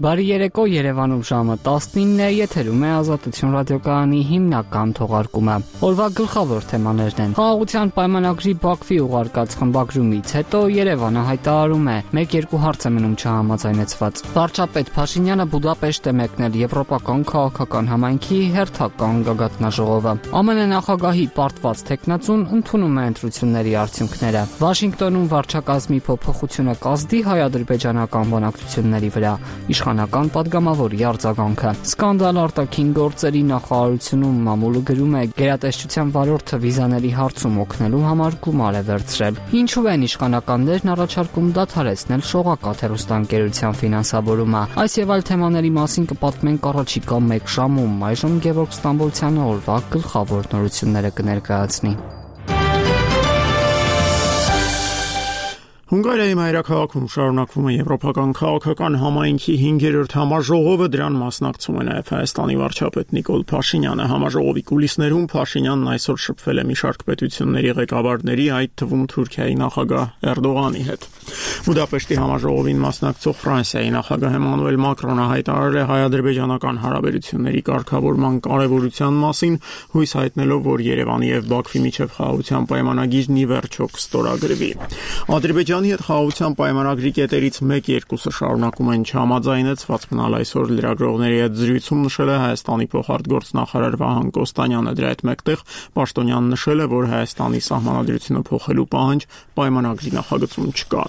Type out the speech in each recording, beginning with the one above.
Բարի երեկո, Երևանում ժամը 19-ն է, եթերում է Ազատություն ռադիոկայանի հիմնական թողարկումը։ Օրվա գլխավոր թեմաներն են. Խաղաղության պայմանագրի Բաքվի ուղարկած խմբագրումից հետո Երևանը հայտարարում է՝ 1-2 հարց է մնում չհամաձայնեցված։ Վարչապետ Փաշինյանը Բուդապեշտ է մեկնել Եվրոպական քաղաքական համայնքի հերթական գագաթնաժողովը։ ԱՄՆ նախագահի պարտված թեկնածուն ընդունում է ընտրությունների արդյունքները։ Վաշինգտոնում վարչակազմի փոփոխությունը կազդի հայ-ադրբեջանական բանակցությունների վրա։ Իշխանական падգամավորի արձագանքը։ Սկանդալ արտաքին գործերի նախարարությունում մամուլը գրում է՝ գերատեսչության վարորդը վիզաների հարցում օգնելու համար գումար է վերցրել։ Ինչու են իշխանականներն առաջարկում դադարեցնել շողակաթ հեռուստաընկերության ֆինանսավորումը։ Այս եւ այլ թեմաների մասին կպատմենք առաջիկա 1 ժամում։ Այժմ Գևորգ Ստամբոլցյանը օրվա գլխավոր նորությունները կներկայացնի։ Հունգարիայի մայրաքաղաքում շարունակվում է Եվրոպական քաղաքական համայնքի 5-րդ համաժողովը, դրան մասնակցում է նաև Հայաստանի վարչապետ Նիկոլ Փաշինյանը։ Համաժողովի կուլիսներում Փաշինյանն այսօր շփվել է մի շարք պետությունների ղեկավարների, այդ թվում Թուրքիայի նախագահ Էրդողանի հետ։ Բուդապեշտի համաժողովին մասնակցող Ֆրանսիայի նախագահ Էմանուել Մակրոնը հայտարարել է հայ-ադրբեջանական հարաբերությունների կարգավորման կարևորության մասին, հույս հայտնելով, որ Երևանի եւ Բաքվի միջև խաղաղության պայմանագիրն ի վերջո կստորագրվի։ Ադրբեջանի հետ խաղաղության պայմանագրի կետերից 1-2-ը շարունակում են չհամաձայնեցված մնալ այսօր լրագրողների հետ զրույցում նշել է Հայաստանի փոխարտգործնախարար Վահան Կոստանյանը։ Դրա հետ մեկտեղ Պաշտոնյանն նշել է, որ Հայաստանի սահմանադրությունը փոխելու պահանջ պայմանագրի նախագծում չկա։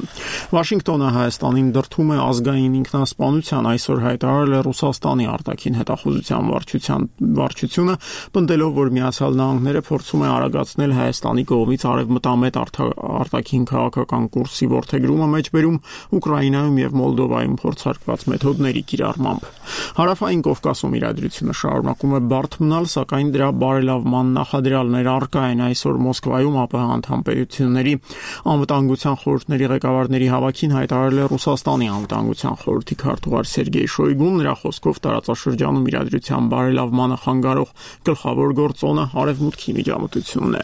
Վաշինգտոնը Հայաստանին դրդում է ազգային ինքնասպանության, այսօր հայտարարել է Ռուսաստանի արտաքին հետախուզության վարչությունը, պնդելով, որ Միացյալ Նահանգները փորձում է արագացնել Հայաստանի կողմից արևմտամետ արտաքին քաղաքական կուրսի որդեգրումը մեջբերում Ուկրաինայում եւ Մոլդովայում փորձարկված մեթոդների կիրառմամբ։ Հարավային Կովկասում իրադրությունը շարունակում է բարդ մնալ, սակայն դրա բարելավման նախադրյալներ առկա են։ Այսօր Մոսկվայում ԱՊՀ անդամ պետությունների անվտանգության խորհուրդների ղեկավարների հավաքին հայտարարել է Ռուսաստանի անվտանգության խորհրդի քարտուղար Սերգեյ Շոյգուն։ Նրա խոսքով տարածաշրջանում իրադրության բարելավմանը խանգարող գլխավոր գործոնը արևմուտքի միջամտությունն է։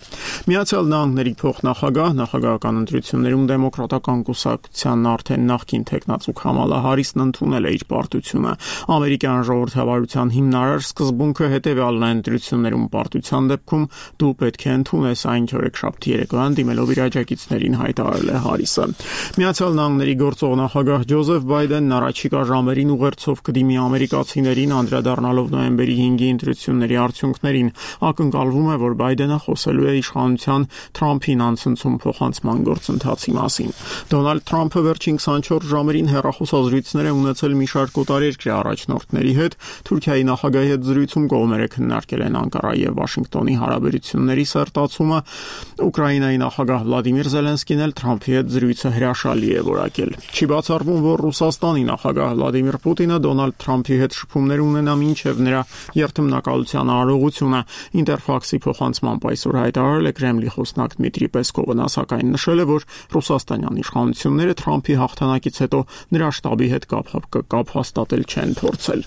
Միացյալ Նահանգների փոխնախագահ նախագահական ընտրություններում դեմոկրատական կուսակցության արդեն նախկին թեկնածու Քամալա Հարիսն ընդունել է իր պարտությունը։ Ամերիկյան ժողովրդավարության հիմնարար սկզբունքը հետևյալն է՝ ընտրություններում պարտության դեպքում դու պետք է ընդունես այն, չորեքշաբթի երեկոյան դիմելով իր աջակիցներին հայտարարել է Հարիսը։ Միացյալ Նահանգների գործող նախագահ Ջոզեֆ Բայդենն առաջիկա ժամերին ուղերձով կդիմի ամերիկացիներին, անդրադառնալով նոյեմբերի 5-ի ընտրությունների արդյունքներին։ Ակնկալվում է, որ Բայդենը խոսելու է իշխանության Թրամփին անցնցում փոխանցման գործընթացի մասին։ Դոնալդ Թրամփը վերջին 24 ժամերին հեռախոսազրույցներ է ունեցել մի շարք օտարերկրյա առաջնորդների հետ։ Թուրքիայի նախագահի հետ զրույցում կողմերը քննարկել են Անկարայի եւ Վաշինգտոնի հարաբերությունների սերտացումը։ Ուկրաինայի նախագահ Վլադիմիր Զելենսկին էլ Թրամփի հետ զրույցը հրաշալի է որակել։ Չի բացառվում, որ Ռուսաստանի նախագահ Վլադիմիր Պուտինը Դոնալդ Թրամփի հետ շփումներ ունենա մինչև նրա երթմնակալության արարողությունը։ Ինտերֆաքսի փոխանցմամբ այսօր հայտարարել է Կրեմլի խոսնակ Դմիտրի Պեսկովը, նա սակայն նշել է, որ ռուսաստանյան իշխանությունները Թրամփի հաղթանակից հետո նրա շտաբի հետ կապ հաստատել չեն փորձել։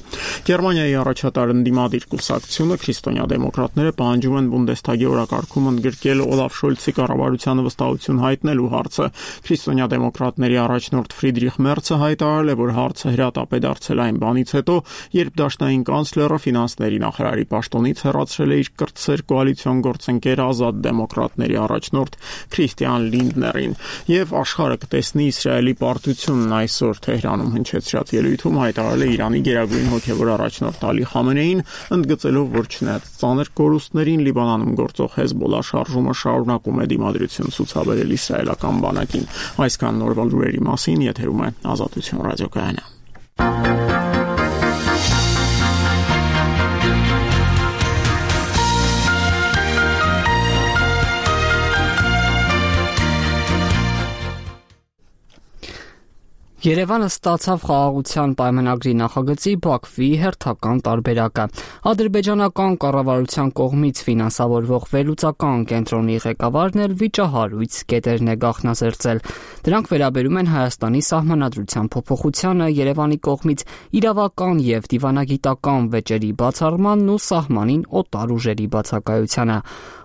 Գերմանիայի առաջատար ընդդիմադիր կուսակցությունը քրիստոնյա դեմոկրատները պահանջում են Բունդեսթագի օրակարգում ընդգրկել Օլաֆ Շոլցի կառավարությանը վստահություն հայտնելու հարցը։ Քրիստոնյա դեմոկրատների առաջնորդ Ֆրիդրիխ Մերցը հայտարարել է, որ հարցը հրատապ է դարձել այն բանից հետո, երբ դաշնային կանցլերը ֆինանսների նախարարի պաշտոնից հեռացրել է իր կրտսեր կոալիցիոն գործընկեր Ազատ դեմոկրատների առաջնորդ Քրիստիան Լինդներին։ Եվ աշխարհը կտեսնի Իսրայելի պարտությունն այսօր Թեհրանում հնչեցրած ելույթում հայտարարել է Իրանի գերագույն հոգևոր առաջնորդ Ալի Խամենեին, ընդգծելով, որ չնայած ծանր կորուստներին Լիբանանում գործող Հեզբոլլա շարժումը շարունակում է դիմադրություն ցուցաբերել իսրայելական բանակին։ Այսքան նորվա լուրերի մասին եթերում է Ազատություն ռադիոկայանը։ Երևանը ստացավ խաղաղության պայմանագրի նախագծի Բաքվի հերթական տարբերակը։ Ադրբեջանական կառավարության կողմից ֆինանսավորվող վերլուծական կենտրոնի ղեկավարն էլ վիճահարույց կետերն է գաղտնազերծել։ Դրանք վերաբերում են Հայաստանի սահմանադրության փոփոխությանը, Երևանի կողմից իրավական եւ դիվանագիտական վեճերի բացառմանն ու սահմանին օտար ուժերի բացակայությանը։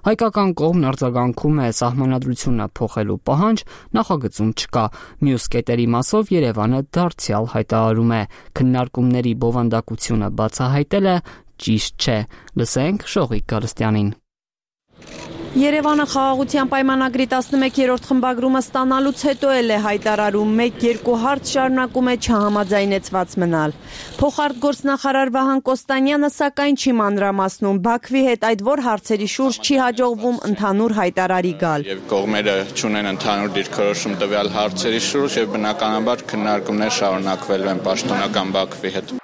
Հայկական կողմն արձագանքում է սահմանադրությունը փոխելու պահանջ նախագծում չկա։ Մյուս կետերի մասով Երևանը դարձյալ հայտարարում է. քննարկումների բովանդակությունը բացահայտելը ճիշտ չէ։ Լսենք Շողիկ Գալստյանին։ Երևանը խաղաղության պայմանագրի 11-րդ խմբագրումը ստանալուց հետո էլ է հայտարարում 1-2 հարց շարունակում է չհամաձայնեցված մնալ։ Փոխարտգործնախարար Վահան Կոստանյանը սակայն չի մանրամասնում Բաքվի հետ այդ որ հարցերի շուրջ չի հաջողվում ընդհանուր հայտարարի գալ։ Եվ կողմերը չունեն ընդհանուր դիրքորոշում տվյալ հարցերի շուրջ եւ բնականաբար քննարկումներ շարունակվելու են պաշտոնական Բաքվի հետ։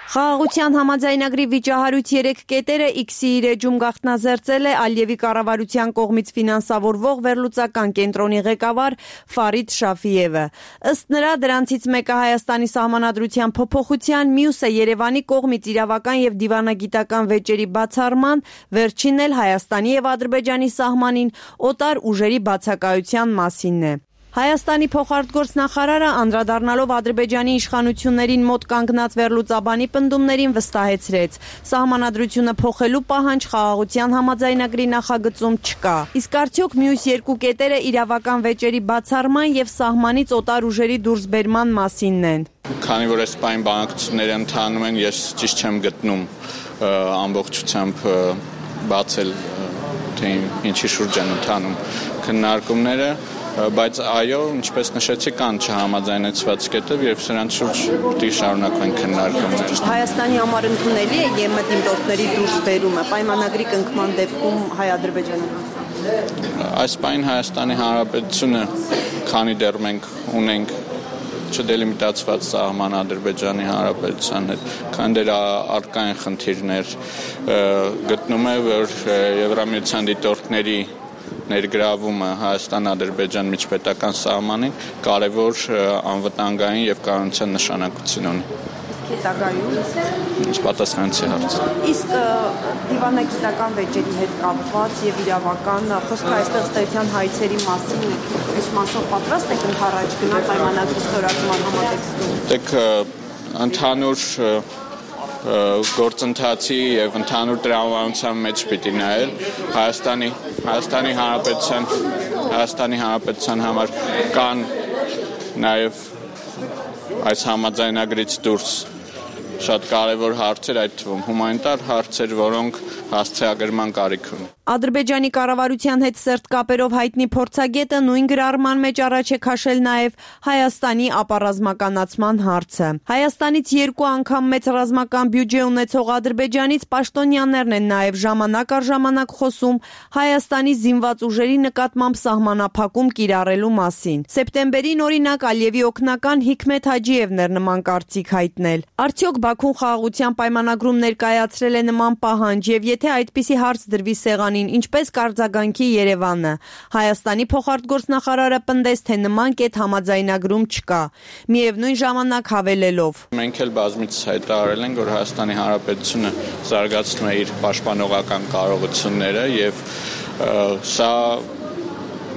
Խաղաղության համաձայնագրի վիճահարույց 3 կետերը X-ի իր էջում գաղտնազերծել է Ալիևի կառավարության կողմից ֆինանսավորվող վերլուծական կենտրոնի ղեկավար Ֆարիդ Շաֆիևը։ Ըստ նրա դրանցից մեկը Հայաստանի սահմանադրության փոփոխության, մյուսը Երևանի կողմից իրավական եւ դիվանագիտական վեճերի բացառման, վերջինն էլ Հայաստանի եւ Ադրբեջանի սահմանին օտար ուժերի բացակայության մասինն է։ Հայաստանի փոխարտգործնախարարը անդրադառնալով Ադրբեջանի իշխանություններին մոտ կանգնած վերլուծաբանի պնդումներին վստահեցրեց. սահմանադրությունը փոխելու պահանջ խաղաղության համաձայնագրի նախագծում չկա։ Իսկ արդյոք մյուս երկու կետերը իրավական վեճերի բացառման եւ սահմանից օտար ուժերի դուրսբերման մասինն են։ Քանի որ այս պայն բանակցությունները ընթանում են, ես ճիշտ չեմ գտնում ամբողջությամբ բացել թե ինչի շուրջ են ընթանում քննարկումները, բայց այո, ինչպես նշեցի, կան չհամաձայնեցված կետեր եւ սրանց շուրջ պետք է շարունակվեն քննարկումները։ Հայաստանի համար ընդունելի է ԵՄ դիմորդների դուրսբերումը պայմանագրի կնքման դեպքում հայ-ադրբեջանական։ Այս պայն Հայաստանի Հանրապետությունը, քանի դեռ մենք ունենք չդելիմիտացված սահման Ադրբեջանի Հանրապետության հետ, քանի դեռ առկա են խնդիրներ, գտնում է, որ Եվրամիության դիտորդների ներգրավումը Հայաստան-Ադրբեջան միջպետական սահմանին կարևոր անվտանգային եւ կանոնության նշանակություն ունի։ Հետագայում պատասխանեցի հարցը։ Իսկ դիվանագիտական վեճերի հետ կապված եւ իրավական խոսքը այստեղ ստեղծան հայցերի մասին այս մասով պատրաստ եք ընթառաջ գնալ պայմանագրի ստորագրման համատեքստում։ Դեք ընդհանուր գործընթացի եւ ընդհանուր տրամաբանության մեջ պիտի նայել Հայաստանի Հանրապետության համար կան նաեւ այս համաձայնագրից դուրս շատ կարևոր հարցեր, այդ թվում հումանիտար հարցեր, որոնք հասցեագրման կարիք ունեն։ Ադրբեջանի կառավարության հետ սերտ կապերով հայտնի փորձագետը նույն գրառման մեջ առաջ է քաշել նաև Հայաստանի ապառազմականացման հարցը։ Հայաստանից 2 անգամ մեծ ռազմական բյուջե ունեցող Ադրբեջանից պաշտոնյաներն են նաև ժամանակ առ ժամանակ խոսում Հայաստանի զինված ուժերի նկատմամբ սահմանափակում կիրառելու մասին։ Սեպտեմբերին օրինակ Ալիևի օգնական Հիկմետ Հաջիևն էր նման կարծիք հայտնել։ Արդյոք Բաքուն խաղաղության պայմանագրում ներկայացրել է նման պահանջ եւ եթե այդպիսի հարց դրվի սեղանին, ինչպես կարձագանքի Երևանը։ Հայաստանի փոխարտգործնախարարը պնդեց, թե նման կետ համաձայնագրում չկա։ Միևնույն ժամանակ հավելելով. Մենք էլ բազմիցս հայտարարել ենք, որ Հայաստանի Հանրապետությունը զարգացնում է իր պաշտպանողական կարողությունները եւ սա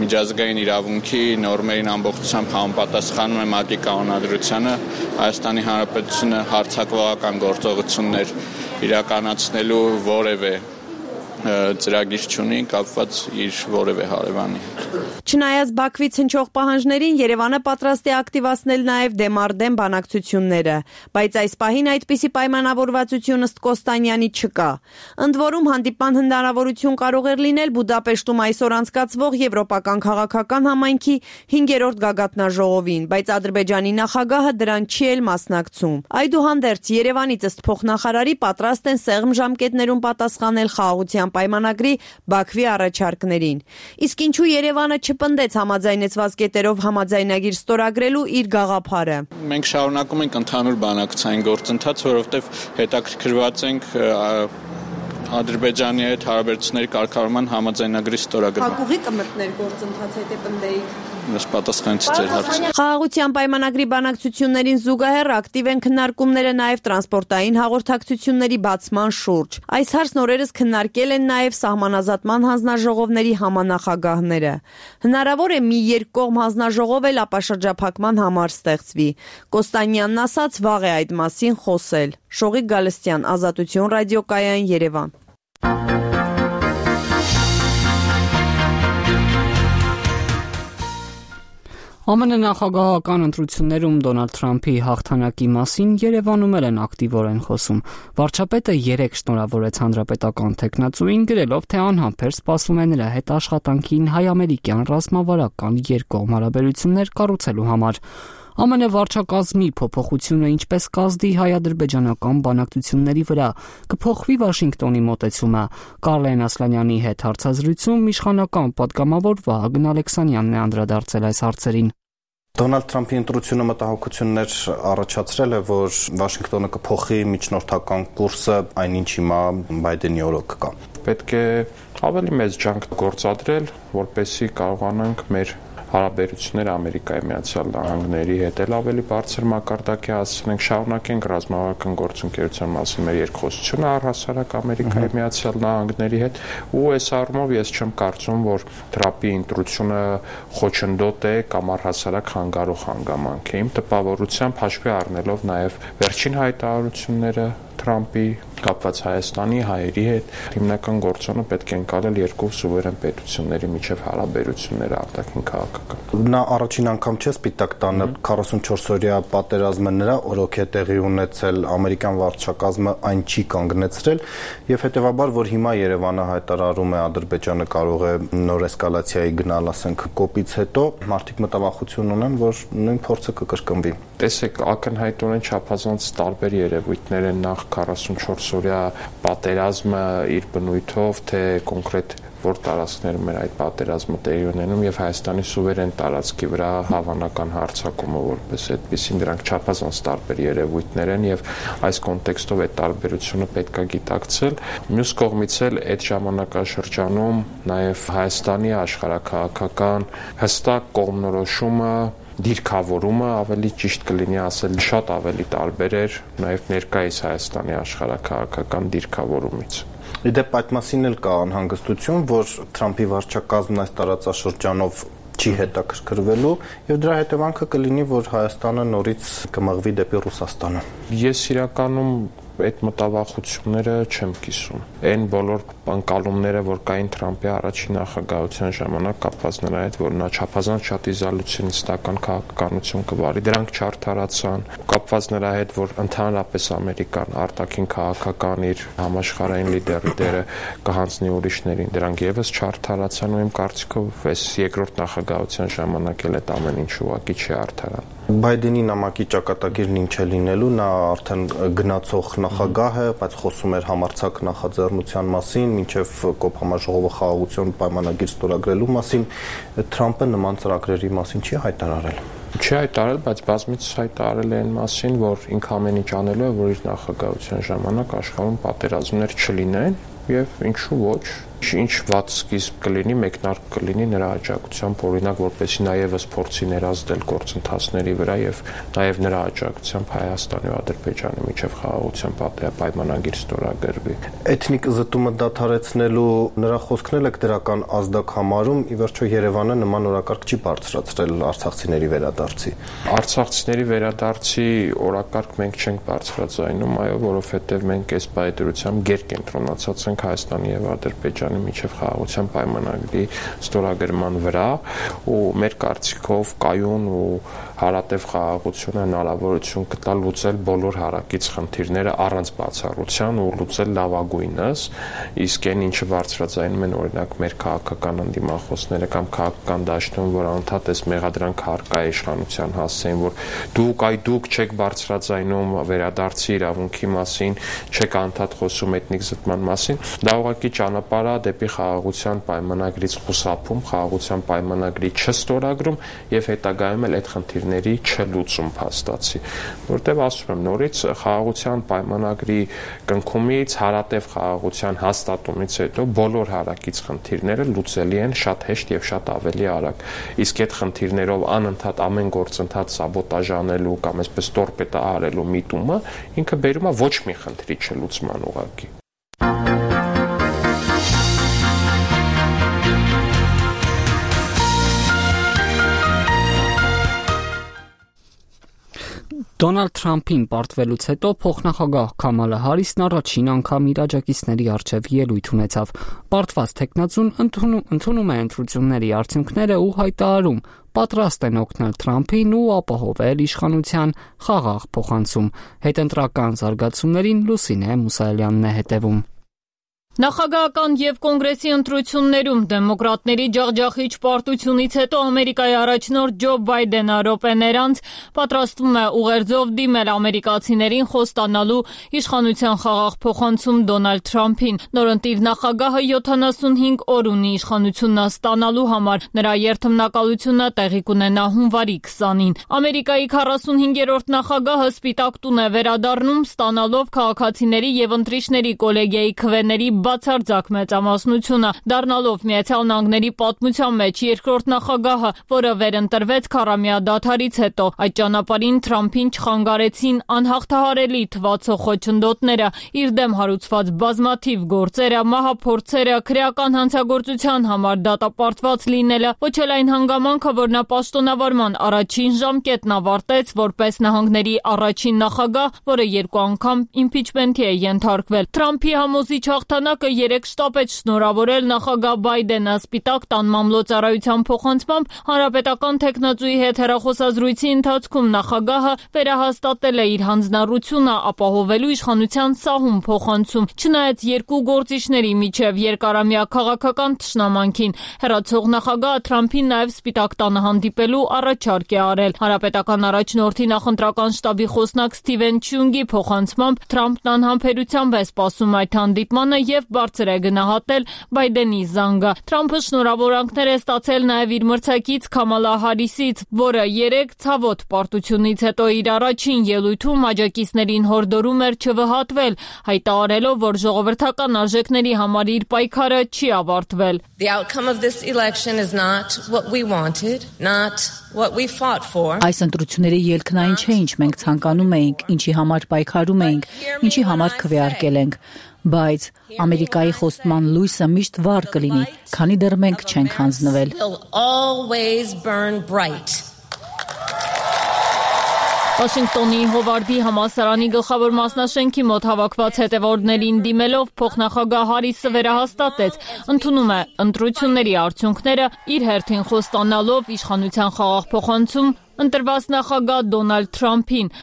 միջազգային իրավունքի նորմերին ամբողջությամբ համապատասխանում է ՄԱԿ-ի կանոնադրությանը, Հայաստանի Հանրապետությունը հարձակողական գործողություններ իրականացնելու որևէ ծրագիր չունի կապված իր որևէ հարևանի։ Չնայած Բաքվից հնչող պահանջներին Երևանը պատրաստ է ակտիվացնել նաև դեմարդեմ բանակցությունները, բայց այս պահին այդպիսի պայմանավորվածություն ըստ Կոստանյանի չկա։ Ընդ որում հանդիպման հնարավորություն կարող էր լինել Բուդապեշտում այսօր անցկացվող Եվրոպական քաղաքական համայնքի 5-րդ գագաթնաժողովին, բայց Ադրբեջանի նախագահը դրան չի էլ մասնակցում։ Այդուհանդերձ Երևանից ըստ փոխնախարարի պատրաստ են սեղմ ժամկետներում պատասխանել խաղաղության պայմանագրի Բաքվի առաջարկներին։ Իսկ ինչու Երևանը չպնդեց համաձայնեցված կետերով համաձայնագիր ստորագրելու իր գաղափարը։ Մենք շարունակում ենք ընդհանուր բանակցային գործընթաց, որովհետև հետաքրքրված ենք Ադրբեջանի հետ հարաբերությունների կարգավորման համաձայնագրի ստորագրման։ Հակուղի կմտներ գործընթաց հետ է պնդեիք։ Ես պատասխանեցի ձեր հարցին։ Խաղաղության պայմանագրի բանակցություններին զուգահեռ ակտիվ են քննարկումները նաև տրանսպորտային հաղորդակցությունների բացման շուրջ։ Այս հարցն օրերս քննարկել են նաև սահմանազատման հանձնաժողովների համանախագահները։ Հնարավոր է մի երկկողմ հանձնաժողով էլ ապաշրջափակման համար ստեղծվի։ Կոստանյանն ասաց վաղ է այդ մասին խոսել։ Շողիկ Գալստյան, Ազատություն ռադիոկայան, Երևան։ ԱՄՆ նախագահական ընտրություններում Դոնալդ Թրամփի հաղթանակի մասին Երևանում են ակտիվորեն խոսում։ Վարչապետը 3 շնորհավորեց հանրապետական տեխնացուին, գրելով, թե անհամբեր սպասում է նրա հետ աշխատանքին հայ-ամերիկյան ռազմավարական երկկողմ հարաբերություններ կառուցելու համար։ ԱՄՆ վարչակազմի փոփոխությունը ինչպես կազդի հայ-ադրբեջանական բանակցությունների վրա, կփոխվի Վաշինգտոնի մոտեցումը։ Կարլեն Ասլանյանի հետ հարցազրույցում իշխանական պատգամավոր Վահագն Ալեքսանյանն է անդրադարձել այս հարցերին։ Դոնալդ Թրամփի ընտրությունը մտահոգություններ առաջացրել է, որ Վաշինգտոնը կփոխի միջնորդական կուրսը, այնինչ հիմա Բայդենի օրոք կա։ Պետք է ավելի մեծ ջանք գործադրել, որպեսզի կարողանանք մեր հարաբերությունները Ամերիկայի Միացյալ Նահանգների հետ ավելի բարձր մակարդակի հասցնենք, շարունակենք ռազմավարական գործընկերության մասին մեր երկխոսությունը առհասարակ Ամերիկայի Միացյալ Նահանգների հետ, ու այս առումով ես չեմ կարծում, որ Թրամփի ընտրությունը խոչընդոտ է կամ առհասարակ խանգարող հանգամանք է։ Իմ տպավորությամբ հաշվի առնելով նաև վերջին հայտարարությունները Թրամփի կապված Հայաստանի հայերի հետ, հիմնական գործոնը պետք է ընկալել երկու սուվերեն պետությունների միջև հարաբերությունները արտաքին քաղաքական։ Նա առաջին անգամ չէ սպիտակ տանը 44-օրյա պատերազմը նրա օրոք է տեղի ունեցել, ամերիկյան վարչակազմը այն չի կանգնեցրել, եւ հետեւաբար, որ հիմա Երևանը հայտարարում է Ադրբեջանը կարող է նոր էսկալացիայի գնալ, ասենք, կոպից հետո, մարդիկ մտավախություն ունեն, որ նույն փորձը կկրկնվի։ Տեսեք, ակնհայտորեն չափազանց տարբեր երևույթներ են նախ 44-օրյա պատերազմը իր բնույթով, թե կոնկրետ որ տարածքներում էր այդ պատերազմը տեղի ունենում եւ Հայաստանի սուվերեն տարածքի վրա հավանական հարձակումը որպես այդպեսին, դրանք չափազանց տարբեր երևույթներ են եւ այս կոնտեքստով այդ տարբերությունը պետք է գիտակցել։ Մյուս կողմից էլ այդ ժամանակաշրջանում նաեւ Հայաստանի աշխարհաքաղաքական հստակ կողմնորոշումը դիրքավորումը ավելի ճիշտ կլինի ասել շատ ավելի տարբեր էր նաև ներկայիս Հայաստանի աշխարհաքաղաքական դիրքավորումից։ Իդեպ այդ մասին էլ կա անհանգստություն, որ Թրամփի վարչակազմն այս տարածաշրջանով չի հետաքրքրվելու եւ դրա հետևանքը կլինի, որ Հայաստանը նորից կմղվի դեպի Ռուսաստանը։ Ես իրականում այդ մտավախությունները չեմ կիսում։ Այն բոլոր ընկալումները, որ կային Թրամփի առաջին նախագահության ժամանակ կապված նրա հետ, որ նա չափազանց շատ իզոլյուցիոնիստական քաղաքականություն կվարի, դրանք չարդարացան, կապված նրա հետ, որ ընդհանրապես Ամերիկան արտաքին քաղաքական իր համաշխարհային լիդերի դերը կհանձնի ուրիշներին, դրանք եւս չարդարացան, ու իմ կարծիքով այս երկրորդ նախագահության ժամանակ էլ այդ ամեն ինչ ուղղակի չի արդարան։ Բայդենի նամակի ճակատագիրն ինչ է լինելու, նա արդեն գնացող նախագահ է, բայց խոսում էր համարձակ նախաձեռնության մասին, մինչև կոփ համաժողովը խաղաղություն պայմանագիր ստորագրելու մասին, Թրամփը նման ծրագրերի մասին չի հայտարարել։ Չի հայտարարել, բայց բազմիցս հայտարարել է այն մասին, որ ինքը ամեն ինչ անելու է, որ իր նախագահության ժամանակ աշխարհում պատերազմներ չլինեն եւ ինչու ոչ, ինչ վատ սկիզբ կլինի, մեկնարկ կլինի նրա աջակցությամբ, օրինակ, որպեսզի նա եւս փորձի ներազդել գործընթացների վրա եւ նաեւ նրա աջակցությամբ Հայաստանի ու Ադրբեջանի միջև խաղաղության պայմանագիր ստորագրվի։ Էթնիկ զտումը դադարեցնելու նրա խոսքն էլ է դրական ազդակ համարում, ի վերջո Երևանը նման օրակարգ չի բարձրացրել արցախցիների վերադարձի։ Արցախցիների վերադարձի օրակարգ մենք չենք բարձրացնում, այո, որովհետեւ մենք այս բայդրությամբ գերկենտրոնացած ենք Հայաստանի եւ Ադրբեջանի միջև խաղաղության պայմանագրի ստորագրման վրա, ու մեր կարծիքով կայուն ու հարատև խաղաղությունը հնարավորություն կտա լուծել բոլոր հարակից խնդիրները առանց բացառության ու լուծել լավագույնս, իսկ այն ինչը բարձրաձայնում են օրինակ մեր քաղաքական ընդդիմախոսները կամ քաղաքական դաշտում, որ անդադ էս մեղադրանք հարկա իշխանության հասցեն, որ դուք չեք բարձրաձայնում վերադարձի իրավունքի մասին, չեք անդադ խոսում էթնիկ զտման մասին, դա ուղղակի ճանապարհ է դեպի խաղաղության պայմանագրից խուսափում, խաղաղության պայմանագրի չստորագրում եւ հետագայում էլ այդ խնդիրների չլուծում փաստացի, որտեղ ասում եմ նորից խաղաղության պայմանագրի կնքումից, հարատև խաղաղության հաստատումից հետո բոլոր հարակից խնդիրները լուծելի են շատ հեշտ եւ շատ ավելի արագ, իսկ այդ խնդիրներով անընդհատ ամեն գործընթաց սաբոտաժ անելու կամ այսպես տորպեդա արելու միտումը ինքը բերում է ոչ մի խնդրի չլուծման ուղղակի։ Դոնալդ Թրամփին պարտվելուց հետո փոխնախագահ Քամալա Հարիսն առաջին անգամ իր աջակիցների առջև ելույթ ունեցավ։ Պարտված տեխնացուն ընդունում է ընտրությունների արդյունքները ու հայտարարում պատրաստ են օգնել Թրամփին ու ապահովել իշխանության խաղաղ փոխանցում։ Հետընտրական զարգացումներին Լուսինե Մուսայելյանն է հետևում։ Նախագահական եւ կոնգրեսի ընտրություններում դեմոկրատների ջախջախիչ պարտությունից հետո Ամերիկայի առաջնորդ Ջո Բայդենը րոպեներ անց պատրաստվում է ուղերձով դիմել ամերիկացիներին խոստանալու իշխանության խաղաղ փոխանցում Դոնալդ Թրամփին։ Նորընտիր նախագահը 75 օր ունի իշխանությունը ստանալու համար։ Նրա երթմնակալությունը տեղի կունենա հունվարի 20-ին։ Ամերիկայի 45-րդ նախագահը Սպիտակ տուն է վերադառնում, ստանալով քաղաքացիների եւ ընտրիչների կոլեգիայի քվեների բացարձակ մեծամասնությունը, դառնալով Միացյալ Նահանգների պատմության մեջ երկրորդ նախագահը, որը վերընտրվեց 40-ամյա դադարից հետո։ Այդ ճանապարհին Թրամփին չխանգարեցին անհաղթահարելի թվացող խոչընդոտները, իր դեմ հարուցված բազմաթիվ գործերը, մահափորձերը, քրեական հանցագործության համար դատապարտված լինելը, ոչ էլ այն հանգամանքը, որ նա պաշտոնավարման առաջին ժամկետն ավարտեց որպես նահանգների առաջին նախագահ, որը 2 անգամ իմպիչմենթի է ենթարկվել։ Թրամփի համոզիչ հաղթանակը 3 շտապեց շնորհավորել նախագահ Բայդենը Սպիտակ տան մամլոյցարայության փոխանցմամբ հանրապետական տեխնացուի հետ հեռախոսազրույցի ընթացքում նախագահը վերահաստատել է իր հանձնառությունը ապահովելու իշխանության սահուն փոխանցում, չնայած երկու գործիչների միջև երկարամյա քաղաքական թշնամանքին։ Հեռացող նախագահը Թրամփին նաև Սպիտակ տանը հանդիպելու առաջարկ է արել։ Հանրապետական առաջնորդի նախընտրական շտաբի խոսնակ Սթիվեն Չյունգի փոխանցմամբ Թրամփն անհամբերությամբ է սպասում այդ հանդիպմանը եւ բարձր է գնահատել Բայդենի զանգը։ Թրամփը շնորհավորանքներ է ստացել նաև իր մրցակից Քամալա Հարիսից, որը 3 ցավոտ պարտությունից հետո իր առաջին ելույթում աջակիցներին հորդորում էր չվհատվել, հայտարարելով, որ ժողովրդական արժեքների համար իր պայքարը չի ավարտվել։ The outcome of this election is not what we wanted, not what we fought for. Այս ընտրությունների ելքն այն չէ, ինչ մենք ցանկանում էինք, ինչի համար պայքարում էինք, ինչի համար քվեարկել ենք, բայց Ամերիկայի խոստման լույսը միշտ վառ կլինի, քանի դեռ մենք չենք հանձնվել։ Վաշինգտոնի Հովարդի համալսարանի գլխավոր մասնաշենքի մոտ հավաքված հետևորդներին դիմելով փոխնախագահ Հարիսը վերահաստատեց, ընդունում է ընտրությունների արդյունքները, իր հերթին խոստանալով իշխանության խաղաղ փոխանցում ընտրված նախագահ Դոնալդ Թրամփին։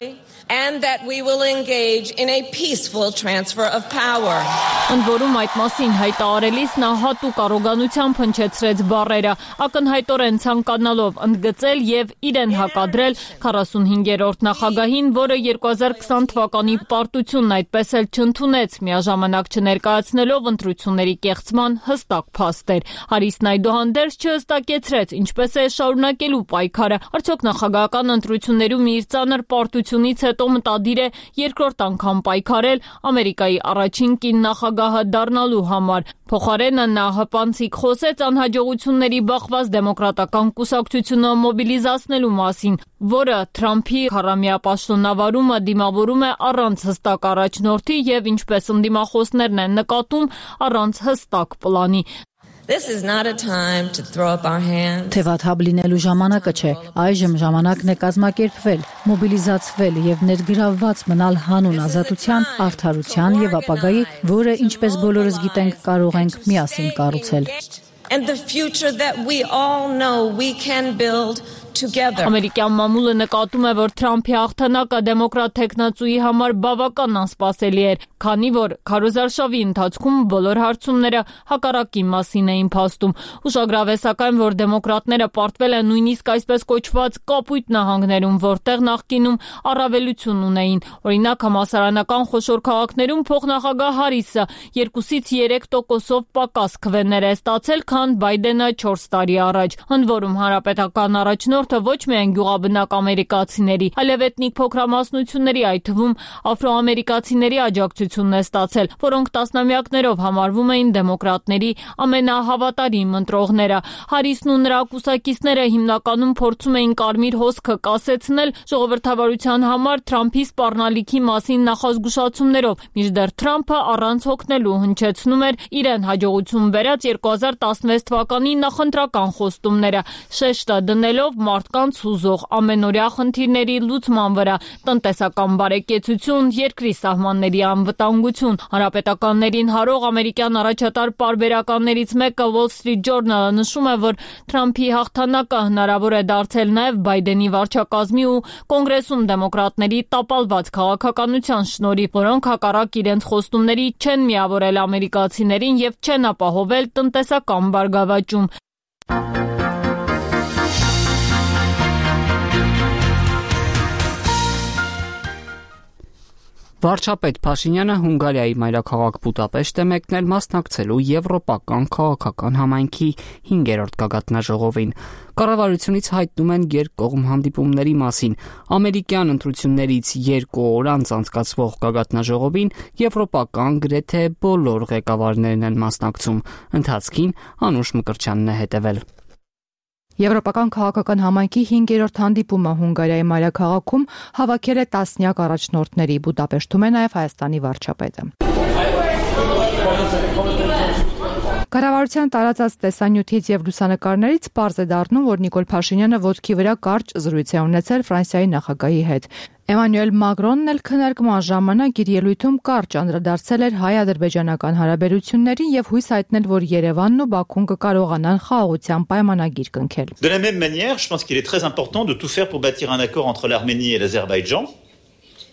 And that we will engage in a peaceful transfer of power. Ընդ որում այդ մասին հայտարարելիս նա հատուկ առոգանությամբ հնչեցրեց բառերը, ակնհայտորեն ցանկանալով ընդգծել եւ իրեն հակադրել 45-րդ նախագահին, որը 2020 թվականի պարտությունն այդպես էլ չընդունեց, միաժամանակ չներկայացնելով ընտրությունների կեղծման հստակ փաստեր։ Հարիսն այդուհանդերձ չհստակեցրեց, ինչպես է շարունակելու պայքարը, արդյոք նախագահական ընտրություններում իր ծանր պարտությունից հետո մտադիր է երկրորդ անգամ պայքարել Ամերիկայի առաջին կին նախագահը դառնալու համար։ Փոխարենը նա հպանցիկ խոսեց անհաջողությունների բախված դեմոկրատական կուսակցությունը մոբիլիզացնելու մասին, որը Թրամփի 40-ամյա պաշտոնավարումը դիմավորում է առանց հստակ առաջնորդի եւ ինչպես ընդդիմախոսներն են նկատում, առանց հստակ պլանի։ This is not a time to throw up our hands. Թեվաթափ լինելու ժամանակը չէ, այժմ ժամանակն է կազմակերպվել, մոբիլիզացվել եւ ներգրավված մնալ հանուն ազատության, արդարության եւ ապագայի, որը ինչպես բոլորս գիտենք, կարող ենք միասին կառուցել։ And the future that we all know we can build together. Ամերիկյան մամուլը նկատում է, որ Թրամփի հաղթանակը դեմոկրատ տեխնացուի համար բավական անսպասելի էր, քանի որ քարոզարշավի ընթացքում բոլոր հարցումները հակառակի մասին էին փաստում։ Ուշագրավ է սակայն, որ դեմոկրատները պարտվել են նույնիսկ այսպես կոչված կապույտ նահանգներում, որտեղ նախկինում առավելություն ունեին։ Օրինակ համալսարանական խոշոր քաղաքներում փոխնախագահ Հարիսը 2-ից 3%-ով պակաս քվեներ է ստացել, քան Բայդենը 4 տարի առաջ։ Ընդ որում հանրապետական առաջնորդը ոչ միայն գյուղաբնակ ամերիկացիների, այլև էթնիկ փոքրամասնությունների, այդ թվում աֆրոամերիկացիների աջակցությունն է ստացել, որոնք տասնամյակներով համարվում էին դեմոկրատների ամենահավատարիմ ընտրողները։ Հարիսն ու նրա կուսակիցները հիմնականում փորձում էին կարմիր հոսքը կասեցնել ժողովրդավարության համար Թրամփի սպառնալիքի մասին նախազգուշացումներով, մինչդեռ Թրամփը առանց հոգնելու հնչեցնում էր իրեն հաջողություն բերած 2016 թվականի նախընտրական խոստումները, շեշտը դնելով մարդկանց հուզող ամենօրյա խնդիրների լուծման վրա, տնտեսական բարեկեցություն, երկրի սահմանների անվտանգություն։ Հանրապետականներին հարող ամերիկյան առաջատար պարբերականներից մեկը Wall Street Journal-ը նշում է, որ Թրամփի հաղթանակը հնարավոր է դարձել նաև Բայդենի վարչակազմի ու կոնգրեսում դեմոկրատների տապալված քաղաքականության շնորհիվ, որոնք հակառակ իրենց խոստումների չեն միավորել ամերիկացիներին եւ չեն ապահովել տնտեսական բարգավաճում։ Վարչապետ Փաշինյանը Հունգարիայի մայրաքաղաք Բուդապեշտ է մեկնել մասնակցելու Եվրոպական քաղաքական համայնքի 5-րդ գագաթնաժողովին։ Կառավարությունից հայտնում են երկկողմ հանդիպումների մասին։ Ամերիկյան ընտրություններից 2 օր անց անցկացվող գագաթնաժողովին եվրոպական գրեթե բոլոր ղեկավարներն են մասնակցում։ Ընթացքին Անուշ Մկրտչյանն է հետևել։ Եվրոպական քաղաքական համայնքի 5-րդ հանդիպումը Հունգարիայի մայրաքաղաքում հավաքել է տասնյակ առաջնորդների, Բուդապեշտում է նաև Հայաստանի վարչապետը։ Կառավարության տարածած տեսանյութից եւ լուսանկարներից պարզ է դառնում, որ Նիկոլ Փաշինյանը ոտքի վրա կարճ զրույց է ունեցել Ֆրանսիայի նախագահի հետ։ Էմանուել Մակրոնն էլ քննարկման ժամանակ իր ելույթում կարճ անդրադարձել էր հայ-ադրբեջանական հարաբերություններին եւ հույս հայտնել, որ Երևանն ու Բաքուն կկարողանան խաղաղության պայմանագիր կնքել։ De la même manière, je pense qu'il est très important de tout faire pour bâtir un accord entre l'Arménie et l'Azerbaïdjan.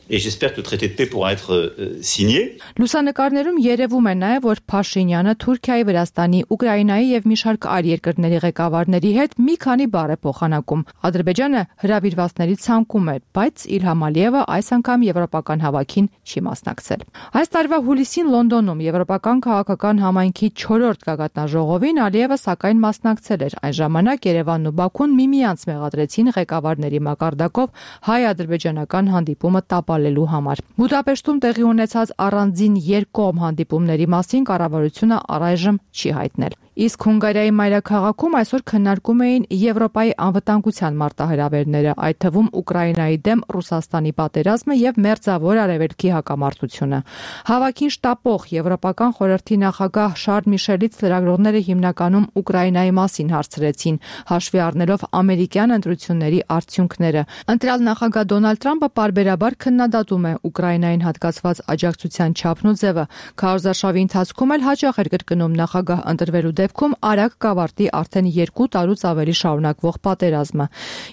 Et j'espère que le traité de paix pourra être signé. Լուսանկարներում երևում է նաև, որ Փաշինյանը Թուրքիայի, Վրաստանի, Ուկրաինայի եւ մի շարք այլ երկրների ղեկավարների հետ մի քանի բառ է փոխանակում։ Ադրբեջանը հրավիրվածների ցանկում է, բայց Իլհամ Ալիևը այս անգամ եվրոպական հավաքին չի մասնակցել։ Այս տարվա հուլիսին Լոնդոնում Եվրոպական քաղաքական համայնքի 4-րդ գագաթնաժողովին Ալիևը սակայն մասնակցել էր։ Այն ժամանակ Երևանն ու Բաքուն միմյանց մեղադրեցին ղեկավարների մակարդակով հայ-ադրբեջանական հանդիպումը տապալելու համար։ Բուդապեշտում տեղի ունեցած առանձին երկկողմ հանդիպումների մասին կառավարությունը առայժմ չի հայտնել։ Իսկ Հունգարիայի մայրաքաղաքում այսօր քննարկում էին Եվրոպայի անվտանգության մարտահրավերները, այդ թվում Ուկրաինայի դեմ Ռուսաստանի պատերազմը եւ Մերձավոր Արևելքի հակամարտությունը։ Հավաքին շտապող Եվրոպական խորհրդի նախագահ Շարլ Միշելից լրագրողները հիմնականում Ուկրաինայի մասին հարցրեցին, հաշվի առնելով ամերիկյան ընտրությունների արդյունքները։ Ընտրյալ նախագահ Դոնալդ Թրամփը պարբերաբար քննադատում է Ուկրաինային հատկացված աջակցության չափն ու ձևը։ Քարոզարշավի ընթացքում էլ հաճախ էր կրկնում նախագահ ընտրվելու դեպքում արագ կավարտի արդեն 2 տարուց ավելի շարունակվող պատերազմը։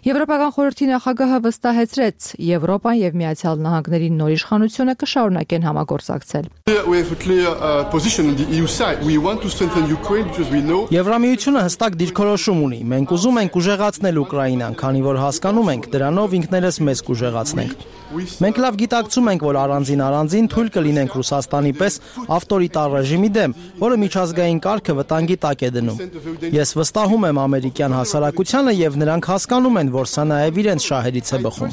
Եվրոպական խորհրդի նախագահը վստահեցրեց, Եվրոպան եւ Միացյալ Նահանգների նոր իշխանությունը կշարունակեն համագործակցել։ Եվրամիությունը հստակ դիրքորոշում ունի։ Մենք ուզում ենք ուժեղացնել Ուկրաինան, քանի որ հասկանում ենք, դրանով ինքներս մեզ կուժեղացնենք։ Մենք լավ գիտակցում ենք, որ առանձին թույլ կլինենք Ռուսաստանի պես ավտորիտար ռեժիմի դեմ, որը միջազգային կարգը վտանգի տակ է դնում։ Ես վստահում եմ ամերիկյան հասարակությանը եւ նրանք հասկանում են, որ սա նաեւ իրենց շահերից է բխում։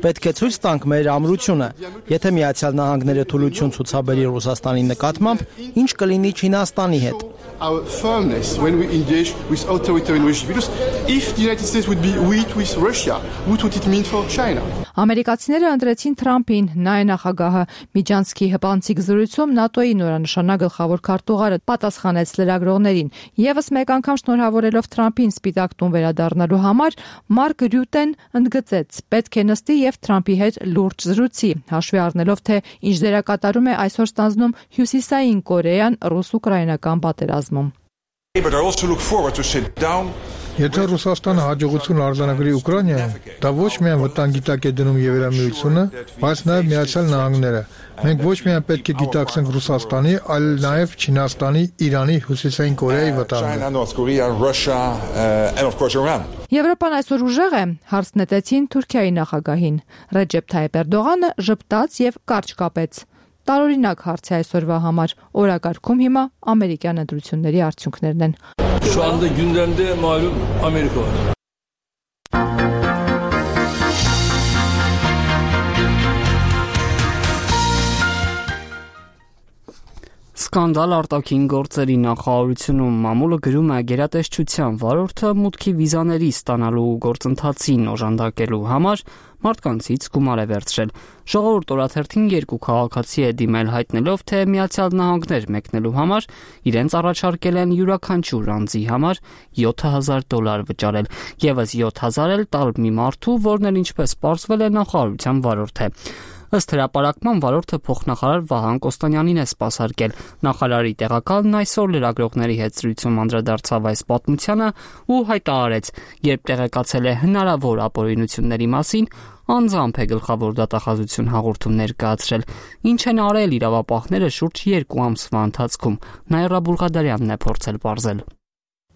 Պետք է ցույց տանք մեր ամրությունը։ Եթե Միացյալ Նահանգները թուլություն ցուցաբերի Ռուսաստանի նկատմամբ, ինչ կլինի Չինաստանի հետ։ Our firmness when we engage with authoritarian regimes. Because if the United States would be weak with Russia, what would it mean for China? Ամերիկացիները ընտրեցին Թրամփին, նա է նախագահը։ Միջանցքի հպանցիկ զրույցում ՆԱՏՕ-ի նորանշանակ գլխավոր քարտուղարը պատասխանեց լրագրողներին։ Եվս մեկ անգամ շնորհավորելով Թրամփին Սպիտակ տուն վերադառնալու համար, Մարկ Ռյուտեն ընդգծեց. պետք է նստի եւ Թրամփի հետ լուրջ զրույցի, հաշվի առնելով թե ինչ դերակատարում է այսօր ստանձնում Հյուսիսային Կորեան ռուս-ուկրաինական պատերազմում։ Եթե Ռուսաստանը հաջողություն արձանագրի Ուկրաինայում, դա ոչ միայն վտանգի տակ է դնում Եվրամիությունը, բայց նաև Միացյալ Նահանգները։ Մենք ոչ միայն պետք է գիտակցենք Ռուսաստանի, այլ նաև Չինաստանի, Իրանի, Հյուսիսային Կորեայի վտանգը։ Եվրոպան այսօր ուժեղ է, հարց նետեցին Թուրքիայի նախագահին։ Ռեջեփ Թայիփ Էրդողանը ժպտաց եւ կարճ կապեց։ Տարօրինակ հարց է այսօրվա համար։ Օրակարգում հիմա ամերիկյան ընտրությունների արդյունքներն են։ Şu anda gündemde malum Amerika var. Սկանդալ արտաքին գործերի նախարարությունում մամուլը գրում է գերատեսչության վարորդը մուտքի վիզաների ստանալու գործընթացին օժանդակելու համար մարդկանցից գումար է վերցրել։ Ժողովուրդ օրաթերթին երկու քաղաքացի է դիմել հայտնելով, թե Միացյալ Նահանգներ մեկնելու համար իրենց առաջարկել են յուրաքանչյուր անձի համար $7,000 վճարել, եւս 7,000 էլ տալ մի մարդու, որն էլ ինչպես պարզվել է նախարարության վարորդ է։ Ըստ հրապարակման վարորդը փոխնախարար Վահան Կոստանյանին է սպասարկել։ Նախարարի տեղակալն այսօր լրագրողների հետ զրույցում անդրադարձավ այս պատմությանը ու հայտարարեց, երբ տեղեկացել է հնարավոր ապօրինությունների մասին, անձամբ է գլխավոր դատախազություն հաղորդում ներկայացրել, ինչ են արել իրավապահները շուրջ 2 ամսվա ընթացքում։ Նաիրա Բուլղադարյանն է փորձել պարզել։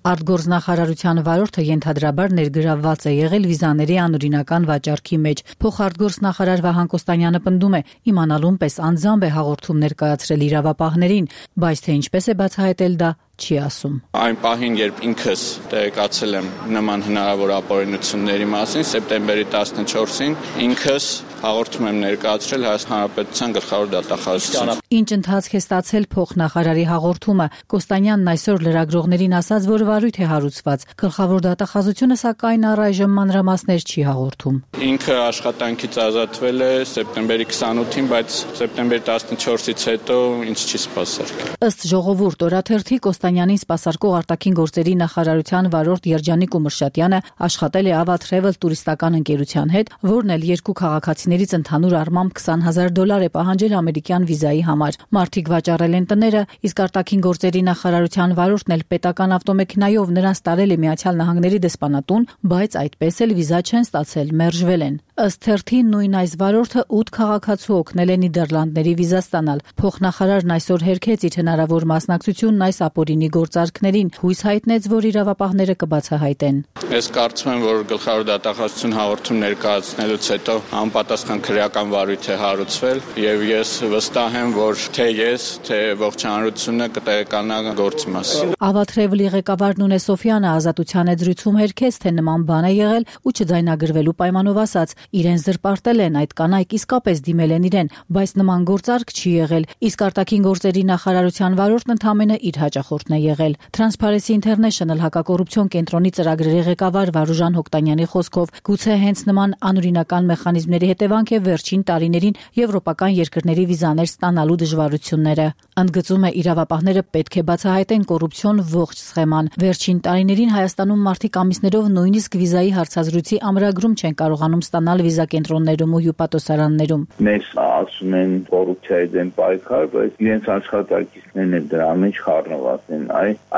Արտգործնախարարության վարորդը ենթադրաբար ներգրավված է եղել վիզաների անօրինական վաճառքի մեջ։ Փոխարտգործնախարար Վահան Կոստանյանը պնդում է, իմանալուն պես անձամբ է հաղորդում ներկայացրել իրավապահներին, բայց թե ինչպես է բացահայտել դա չի ասում։ Այն պահին, երբ ինքս տեղեկացել եմ նման հնարավոր ապօրինությունների մասին, սեպտեմբերի 14-ին ինքս հաղորդում եմ ներկայացրել Հայաստանի Հանրապետության գլխավոր դատախազությունը։ Ինչ ընթացք է ստացել փոխնախարարի հաղորդումը։ Կոստանյանն այսօր լրագրողներին ասաց, որ վարույթ է հարուցված։ Գլխավոր դատախազությունը սակայն առայժմ մանրամասներ չի հաղորդում։ Ինքը աշխատանքից ազատվել է սեպտեմբերի 28-ին, բայց սեպտեմբերի 14-ից հետո ինձ չի սպասարկել։ Ըստ Ժողովուրդ օրաթերթի Կոստանյանին սպասարկող արտաքին գործերի նախարարության վարորդ Երջանիկ Ումրշատյանը աշխատել է Ava Travel տուրիստական ընկերության հետ, որն էլ երկու քաղաքացիներից ընդհանուր առմամբ $20,000 է պահանջել ամերիկյան վիզայի համար։ Մարդիկ վաճառել են տները, իսկ արտաքին գործերի նախարարության վարորդն էլ պետական ավտոմեքենայով նրանց տարել է Միացյալ Նահանգների դեսպանատուն, բայց այդպես էլ վիզա չեն ստացել, մերժվել են։ Ըստ թերթի նույն այս վարորդը 8 քաղաքացու օգնել է Նիդերլանդների վիզա ստանալ։ Փոխնախարարն այսօր հերքեց իր հնարավոր մասնակցությունն այս ապօրինի գործարքներին, հույս հայտնեց, որ իրավապահները կբացահայտեն։ Ես կարծում եմ, որ գլխավոր դատախազություն հաղորդում ներկայացնելուց հետո անպատասխան քրեական վարույթ է հարուցվել, եւ ես վստահ եմ, որ թե ես, թե ողջ հանրությունը կտեղեկանա գործի մասին։ Ava Travel-ի ղեկավար Նունե Սոֆյանը ազատության զրույցում հերքեց, թե նման բան է եղել ու չձայնագրվելու պայմանով ասաց. իրեն զրպարտել են, այդ կանայք իսկապես դիմել են իրեն, բայց նման գործարք չի եղել, իսկ արտաքին գործերի նախարարության վարորդն ընդամենը իր հաճախորդն է եղել։ Transparency International հակակոռուպցիոն կենտրոնի ծրագրերի ղեկավար Վարուժան Հոկտանյանի խոսքով, գուցե հենց նման անօրինական մեխանիզմների հետևանք է վերջին տարիներին եվրոպական երկրների վիզաներ ստանալու դժվարությունները։ Ընդգծում է, իրավապահները պետք է բացահայտեն կոռուպցիոն ողջ սխեման։ Վերջին տարիներին Հայաստանում մարդիկ ամիսներով նույնիսկ վիզայի հարցազրույցի ամրագրում չեն կարողանում ստանալ վիզա կենտրոններում ու հյուպատոսարաններում։ Մեզ ասում են կոռուպցիայի դեմ պայքար, բայց իրենց աշխատակիցներն են դրա մեջ խառնված են։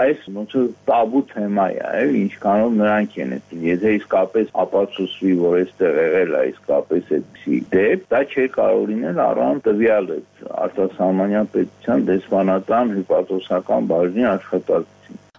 Այս ոնց որ տաբու թեմա է, ինչքանով նրանք են այդտեղ։ Եթե իսկապես ապացուցվի, որ այստեղ եղել է իսկապես այդպիսի դեպ, դա չի կարող լինել առանց տվյալ արտասահմանյան պետության դեսպանատան հյուպատոսական բաժնի աշխատակցի։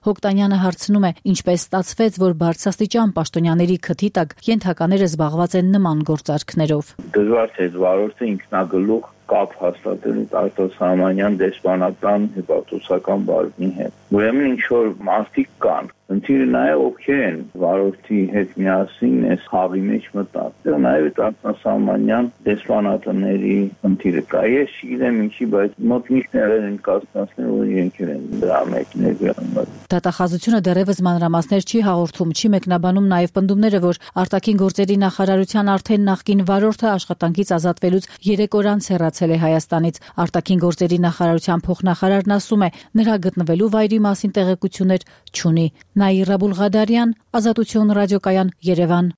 Հոկտանյանը հարցնում է, ինչպես ստացվեց, որ բարձրաստիճան պաշտոնյաների քթի տակ ենթակաները զբաղված են նման գործարքներով։ Դժվար չէ վարորդը ինքնագլուխ կապ հաստատել արտասահմանյան դեսպանատան հյուպատոսական բաժնի հետ։ Ուրեմն ինչ որ մարդիկ կան, ընթիրը նաև ովքեր են վարորդի հետ միասին այս խաղի մեջ մտած։ Դա նաև արտասահմանյան դեսպանատների ընթիրը կա։ Ես չգիտեմ ինչի, բայց մոտ միշտ եղել են կազմակերպներ, որ իրենք են դրա մեջ ներգրավված։ Դատախազությունը դեռևս մանրամասներ չի հաղորդում, չի մեկնաբանում նաև պնդումները, որ արտաքին գործերի նախարարության արդեն նախկին վարորդը աշխատանքից ազատվելուց 3 օր անց հեռացել է Հայաստանից։ Արտաքին գործերի նախարարության փոխնախարարն ասում է, նրա գտնվելու վայրի մասին տեղեկություններ չունի։ Նաիրա Բուլղադարյան, Ազատություն ռադիոկայան, Երևան։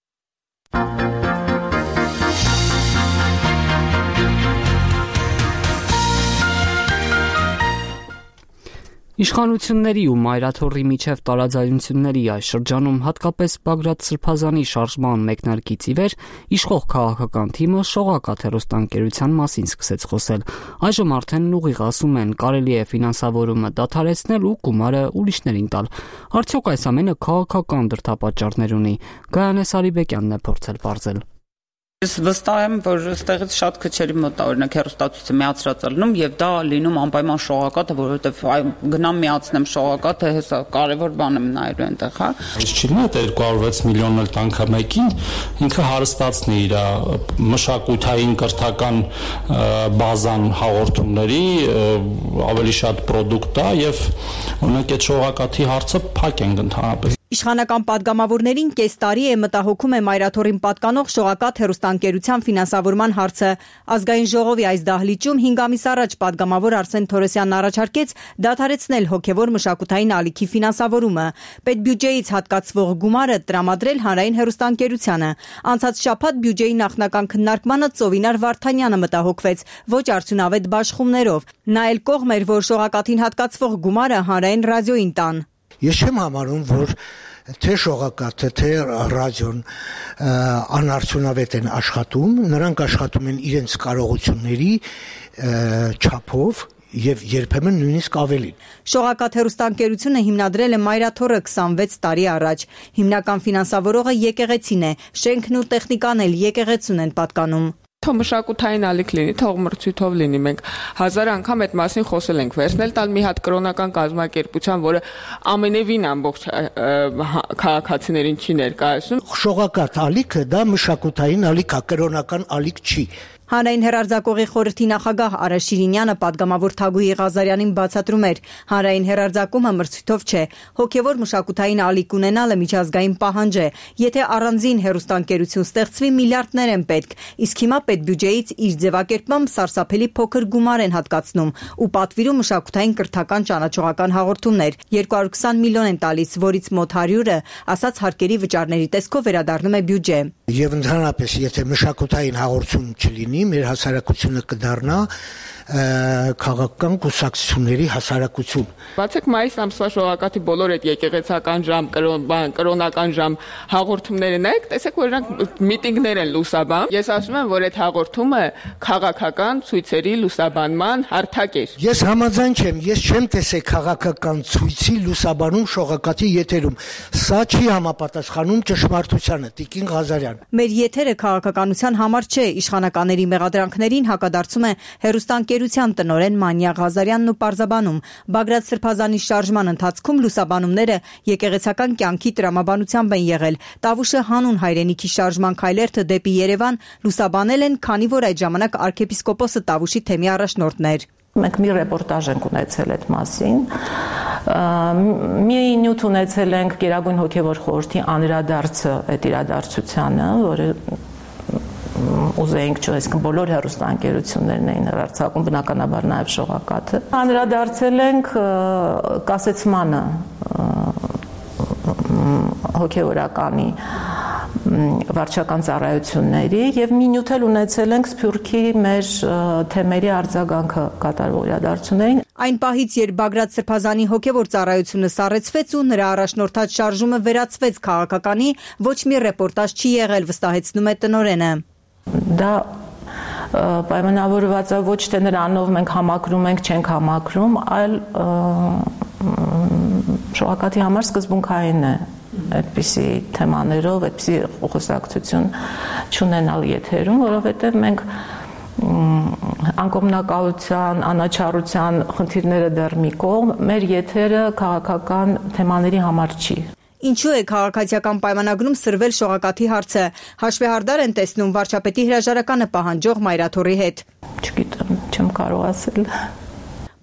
Իշխանությունների ու մայրաթոռի միջև տարաձայնությունների այս շրջանում հատկապես Բագրատ Սրբազանի շարժման մեկնարկից ի վեր իշխող քաղաքական թիմը Շողակաթ հեռուստաընկերության մասին սկսեց խոսել։ Այժմ արդեն ուղիղ ասում են, կարելի է ֆինանսավորումը դադարեցնել ու գումարը ուրիշներին տալ։ Արդյոք այս ամենը քաղաքական դրդապատճառներ ունի։ Գայանե Սարիբեկյանն է փորձել պարզել։ Ես վստահ եմ, որ այստեղից շատ քչերի մոտ օրինակ հեռուստացույցը միացրած լինում եւ դա լինում անպայման շողակաթը, որովհետեւ գնամ միացնեմ շողակաթը, հեսա կարեւոր բան եմ նայելու այնտեղ, հա։ Ինչ չի նա 206 միլիոն էլ տանքը մեկին ինքը հարստացնի իր մշակութային կրթական բազան հաղորդումների ավելի շատ պրոդուկտ է եւ օրինակ այդ շողակաթի հարցը փակ ենք ընդհանրապես։ Իշխանական падգամավորներին կես տարի է մտահոգում է Մայրաթորին պատկանող շողակաթ հեռուստաընկերության ֆինանսավորման հարցը։ Ազգային ժողովի այս դահլիճում 5 ամիս առաջ падգամավոր Արսեն Թորոսյանն առաջարկեց դադարեցնել հոգևոր մշակութային ալիքի ֆինանսավորումը, պետբյուջեից հատկացվող գումարը տրամադրել հանրային հեռուստաընկերությանը։ Անցած շաբաթ բյուջեի նախնական քննարկմանը Ծովինար Վարդանյանը մտահոգվեց ոչ արդյունավետ բաշխումներով։ Նա էլ կողմ էր, որ շողակաթին հատկացվող գումարը հանրային ռադիոին տան։ Ես չեմ համարում, որ թե շողակաթը, թե ռադիոն անարդյունավետ են աշխատում, նրանք աշխատում են իրենց կարողությունների չափով եւ երբեմն նույնիսկ ավելին։ Շողակաթ հեռուստաընկերությունը հիմնադրել է Մայրաթորը 26 տարի առաջ։ Հիմնական ֆինանսավորողը եկեղեցին է, շենքն ու տեխնիկան էլ եկեղեցուն են պատկանում։ Թող մշակութային ալիք լինի, թող մրցույթով լինի, մենք 1000 անգամ այդ մասին խոսել ենք, վերցնել տալ մի հատ կրոնական կազմակերպության, որը ամենևին ամբողջ քաղաքացիներին չի ներկայացնում։ Շողակաթ ալիքը դա մշակութային ալիք է, կրոնական ալիք չի։ Հանրային հեռարձակողի խորհրդի նախագահ Արա Շիրինյանը падգամավոր Թագուհի Ղազարյանին բացատրում էր. հանրային հեռարձակումը մրցույթով չէ, հոգևոր մշակութային ալիք ունենալը միջազգային պահանջ է։ Եթե առանձին հեռուստաընկերություն ստեղծվի, միլիարդներ են պետք, իսկ հիմա պետբյուջեից իր ձևակերպմամբ սարսափելի փոքր գումար են հատկացնում ու պատվիրում մշակութային կրթական ճանաչողական հաղորդումներ։ 220 միլիոն են տալիս, որից մոտ 100-ը, ասած հարկերի վճարների տեսքով վերադառնում է բյուջե։ Եվ ընդհանրապես, եթե մշակութային հաղորդում չլինի, մեր հասարակությունը կդառնա քաղաքական կուսակցությունների հասարակություն։ Բացեք մայիս ամսվա շողակաթի բոլոր այդ եկեղեցական ժամ, կրոնական ժամ հաղորդումները նայեք, տեսեք, որ նրանք միտինգներ են լուսաբանում։ Ես ասում եմ, որ այդ հաղորդումը քաղաքական ցույցերի լուսաբանման հարթակ էր։ Ես համաձայն չեմ, ես չեմ տեսել քաղաքական ցույցի լուսաբանում շողակաթի եթերում։ Սա չի համապատասխանում ճշմարտությանը, Տիկին Ղազարյան։ Մեր եթերը քաղաքականության համար չէ, իշխանականների մեղադրանքներին հակադարձում է հեռուստաընկերության տնօրեն Մանյա Ղազարյանն ու պարզաբանում։ Բագրատ Սրբազանի շարժման ընթացքում լուսաբանումները եկեղեցական կյանքի տրամաբանությամբ են եղել։ Տավուշը հանուն հայրենիքի շարժման քայլերթը դեպի Երևան լուսաբանել են, քանի որ այդ ժամանակ arczepiskopos-ը Տավուշի թեմի առաջնորդն էր։ Մենք մի ռեպորտաժ ենք ունեցել այդ մասին։ Մի նյութ ունեցել ենք Գերագույն հոգևոր խորհրդի անդրադարձը այդ իրադարձությանը, որը ուզեինք այսինքն բոլոր հեռուստաընկերություններն էին հեռարձակում, բնականաբար նաև շողակաթը։ Անդրադարձել ենք կասեցմանը հոգևորականի վարչական ծառայությունների եւ մի նյութ էլ ունեցել ենք Սփյուռքի մեր թեմերի արձագանքը կատարվող իրադարձություններին։ Այն պահից, երբ Բագրատ Սրբազանի հոգևոր ծառայությունը սառեցվեց ու նրա առաջնորդած շարժումը վերածվեց քաղաքականի, ոչ մի ռեպորտաժ չի եղել, վստահեցնում է տնօրենը։ Դա պայմանավորված է ոչ թե նրանով մենք համակրում ենք, չենք համակրում, այլ շողակաթի համար սկզբունքային է այդպիսի թեմաներով, այդպիսի խոսակցություն չունենալ եթերում, որովհետև մենք անկողմնակալության, անաչառության խնդիրները դեռ մի կողմ, մեր եթերը քաղաքական թեմաների համար չի։ Ինչու է քաղաքացիական պայմանագրում սրվել շողակաթի հարցը։ Հաշվեհարդար են տեսնում վարչապետի հրաժարականը պահանջող Մայրաթորի հետ։ Չգիտեմ, չեմ կարող ասել։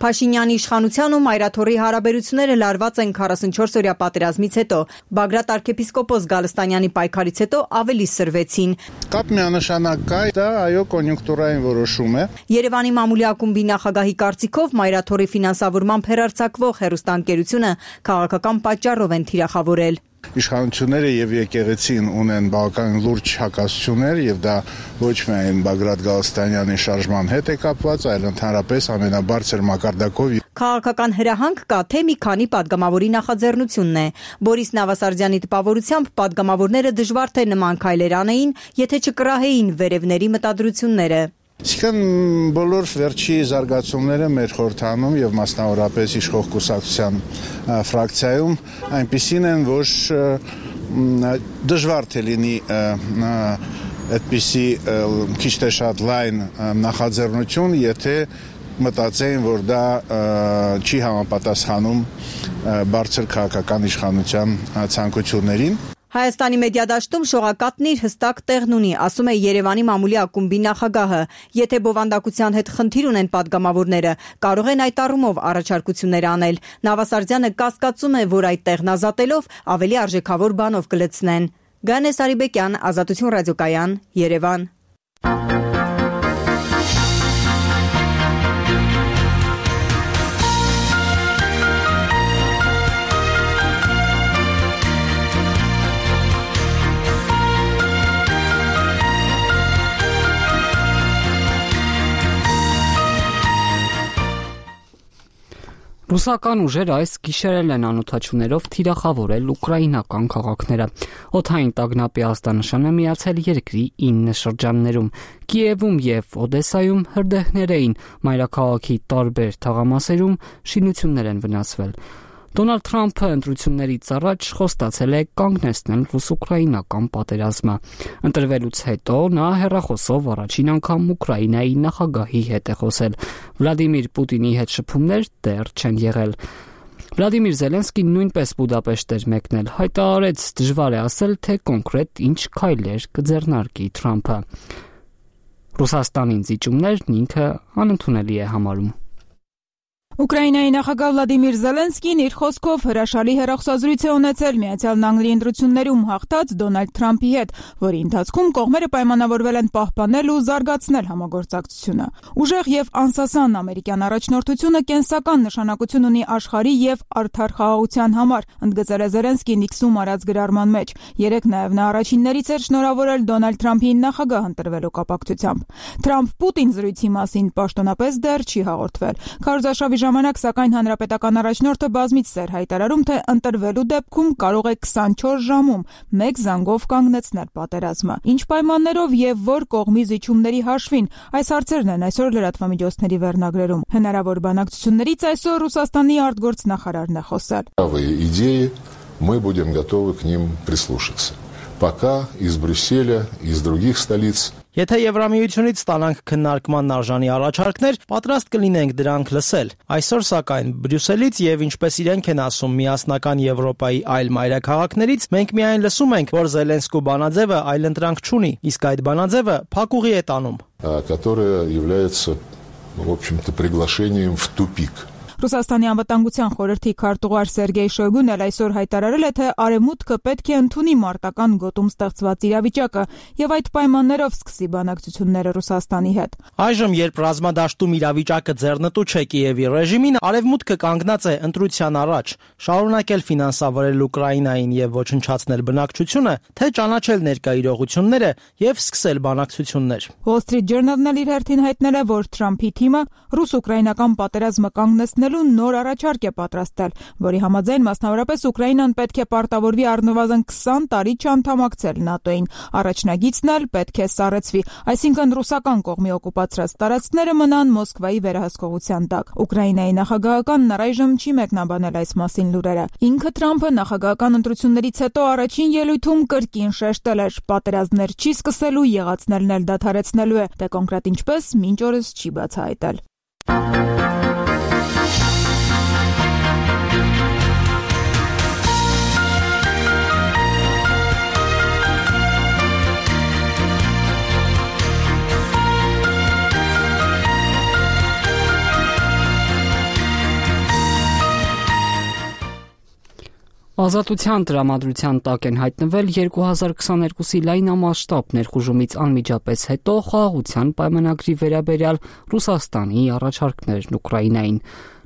Փաշինյանի իշխանության ու Մայրաթորի հարաբերությունները լարված են 44-օրյա պատերազմից հետո։ Բագրատ arczepiskopos Գալստանյանի պայքարից հետո ավելի սրվեցին։ Կապ միանշանակ կա, դա այո կոնյունկտուրային որոշում է։ Երևանի մամուլի ակումբի նախագահի կարծիքով Մայրաթորի ֆինանսավորմամբ հեռարձակվող հեռուստաընկերությունը քաղաքական պատճառով են թիրախավորել։ Իշխանությունները եւ եկեղեցին ունեն բավական լուրջ հակասություններ եւ դա ոչ միայն Բագրատ Գալստանյանի շարժման հետ է կապված, այլ ընդհանրապես ամենաբարձր մակարդակով։ Քաղաքական հրահանգ կա, թե մի քանի падգամավորի նախաձեռնությունն է։ Բորիս Նավասարդյանի տպավորությամբ падգամավորները դժվար թե նման քայլեր անեին, եթե չկռահեին վերևների մտադրությունները։ Իսկական բոլոր վերջի զարգացումները մեր խորհրդանում եւ մասնավորապես իշխող կուսակցության ֆրակցիայում այնպիսին են, որ դժվար թե լինի այդպիսի քիչ թե շատ լայն նախաձեռնություն, եթե մտածեին, որ դա չի համապատասխանում բարձր քաղաքական իշխանության ցանկություններին։ Հայաստանի մեդիադաշտում շողակատն իր հստակ տեղն ունի, ասում է Երևանի մամուլի ակումբի նախագահը։ Եթե բովանդակության հետ խնդիր ունեն падգամավորները, կարող են այդ առումով առաջարկություններ անել։ Նավասարդյանը կասկածում է, որ այդ տեղն ազատելով ավելի արժեքավոր բանով կլցնեն։ Գանես Արիբեկյան, Ազատություն ռադիոկայան, Երևան։ Ռուսական ուժերը այս գիշերել են անօդաչուներով թիրախավորել ուկրաինական քաղաքները։ Օդային տագնապի ազդանշանը միացել երկրի 9 շրջաններում։ Կիևում եւ Օդեսայում հրդեհներ էին, մայրաքաղաքի տարբեր թաղամասերում շինություններ են վնասվել։ Դոնալդ Թրամփը ընտրություններից առաջ խոստացել է կանգնեցնել ռուս-ուկրաինական պատերազմը։ Ընտրվելուց հետո նա հեռախոսով առաջին անգամ Ուկրաինայի նախագահի հետ է խոսել։ Վլադիմիր Պուտինի հետ շփումներ դեռ չեն եղել։ Վլադիմիր Զելենսկին նույնպես Բուդապեշտ էր մեկնել, հայտարարեց դժվար է ասել, թե կոնկրետ ինչ քայլեր կձեռնարկի Թրամփը։ Ռուսաստանին զիջումներն ինքը անընդունելի է համարում։ Ուկրաինայի նախագահ Վլադիմիր Զելենսկին իր խոսքով հրաշալի հեռախոսազրույց է ունեցել Միացյալ Նահանգների ընտրություններում հաղթած Դոնալդ Թրամփի հետ, որի ընթացքում կողմերը պայմանավորվել են պահպանել ու զարգացնել համագործակցությունը։ Ուժեղ եւ անսասան ամերիկյան առաջնորդությունը կենսական նշանակություն ունի աշխարհի եւ արդար խաղաղության համար, ընդգծել է Զելենսկին X-ում արած գրառման մեջ։ Երեկ նաեւ նա առաջիններից էր շնորհավորել Դոնալդ Թրամփին նախագահ ընտրվելու կապակցությամբ։ Թրամփ-Պուտին զրույցի մասին պաշտոնապես դեռ չի հաղորդվել։ Քարոզարշավի ժամանակ սակայն հանրապետական առաջնորդը բազմիցս էր հայտարարում, թե ընտրվելու դեպքում կարող է 24 ժամում մեկ զանգով կանգնեցնել պատերազմը։ Ինչ պայմաններով եւ որ կողմի զիջումների հաշվին, այս հարցերն են այսօր լրատվամիջոցների վերնագրերում։ Հնարավոր բանակցություններից այսօր Ռուսաստանի արտգործնախարարն է խոսել։ Идеи, мы будем готовы к ним прислушаться. Пока из Брюсселя, из других столиц. Եթե Եվրամիությունից ստանանք քննարկման արժանի առաջարկներ, պատրաստ կլինենք դրանք լսել։ Այսօր սակայն Բրյուսելից եւ ինչպես իրենք են ասում միասնական Եվրոպայի այլ մայրաքաղաքներից, մենք միայն լսում ենք, որ Զելենսկու բանաձևը այլընտրանք չունի, իսկ այդ բանաձևը փակուղի է տանում, которая является, в общем-то, приглашением в тупик. Ռուսաստանի անվտանգության խորհրդի քարտուղար Սերգեյ Շոյգուն էլ այսօր հայտարարել է, թե Արևմուտքը պետք է ընդունի մարտական գոտում ստեղծված իրավիճակը եւ այդ պայմաններով սկսի բանակցությունները Ռուսաստանի հետ։ Այժմ, երբ ռազմադաշտում իրավիճակը ձեռնտու չէ Կիևի ռեժիմին, Արևմուտքը կանգնած է ընտրության առաջ, շարունակել ֆինանսավորել Ուկրաինային եւ ոչնչացնել բնակչությունը, թե ճանաչել ներկա իրողությունները եւ սկսել բանակցություններ։ Wall Street Journal-ն էլ իր հերթին հայտնել է, որ Թրամփի թիմը ռուս-ուկրաինական պատերազմը կանգնեցնելու նոր առաջարկ է պատրաստել, որի համաձայն մասնավորապես Ուկրաինան պետք է պարտավորվի առնվազն 20 տարի չանդամակցել ՆԱՏՕ-ին։ Առաջնագիծն էլ պետք է սառեցվի, այսինքն ռուսական կողմի օկուպացրած տարածքները մնան Մոսկվայի վերահսկողության տակ։ Ուկրաինայի նախագահականն առայժմ չի մեկնաբանել այս մասին լուրերը։ Ինքը Թրամփը նախագահական ընտրություններից հետո առաջին ելույթում կրկին շեշտել էր, պատերազմներ չի սկսելու, եղածներն էլ դադարեցնելու է, թե կոնկրետ ինչպես մինչ օրս չի բացահայտել։ Ազատության տրամադրության տակ են հայտնվել 2022-ի լայնամասշտաբ ներխուժումից անմիջապես հետո խաղաղության պայմանագրի վերաբերյալ Ռուսաստանի առաջարկներն Ուկրաինային։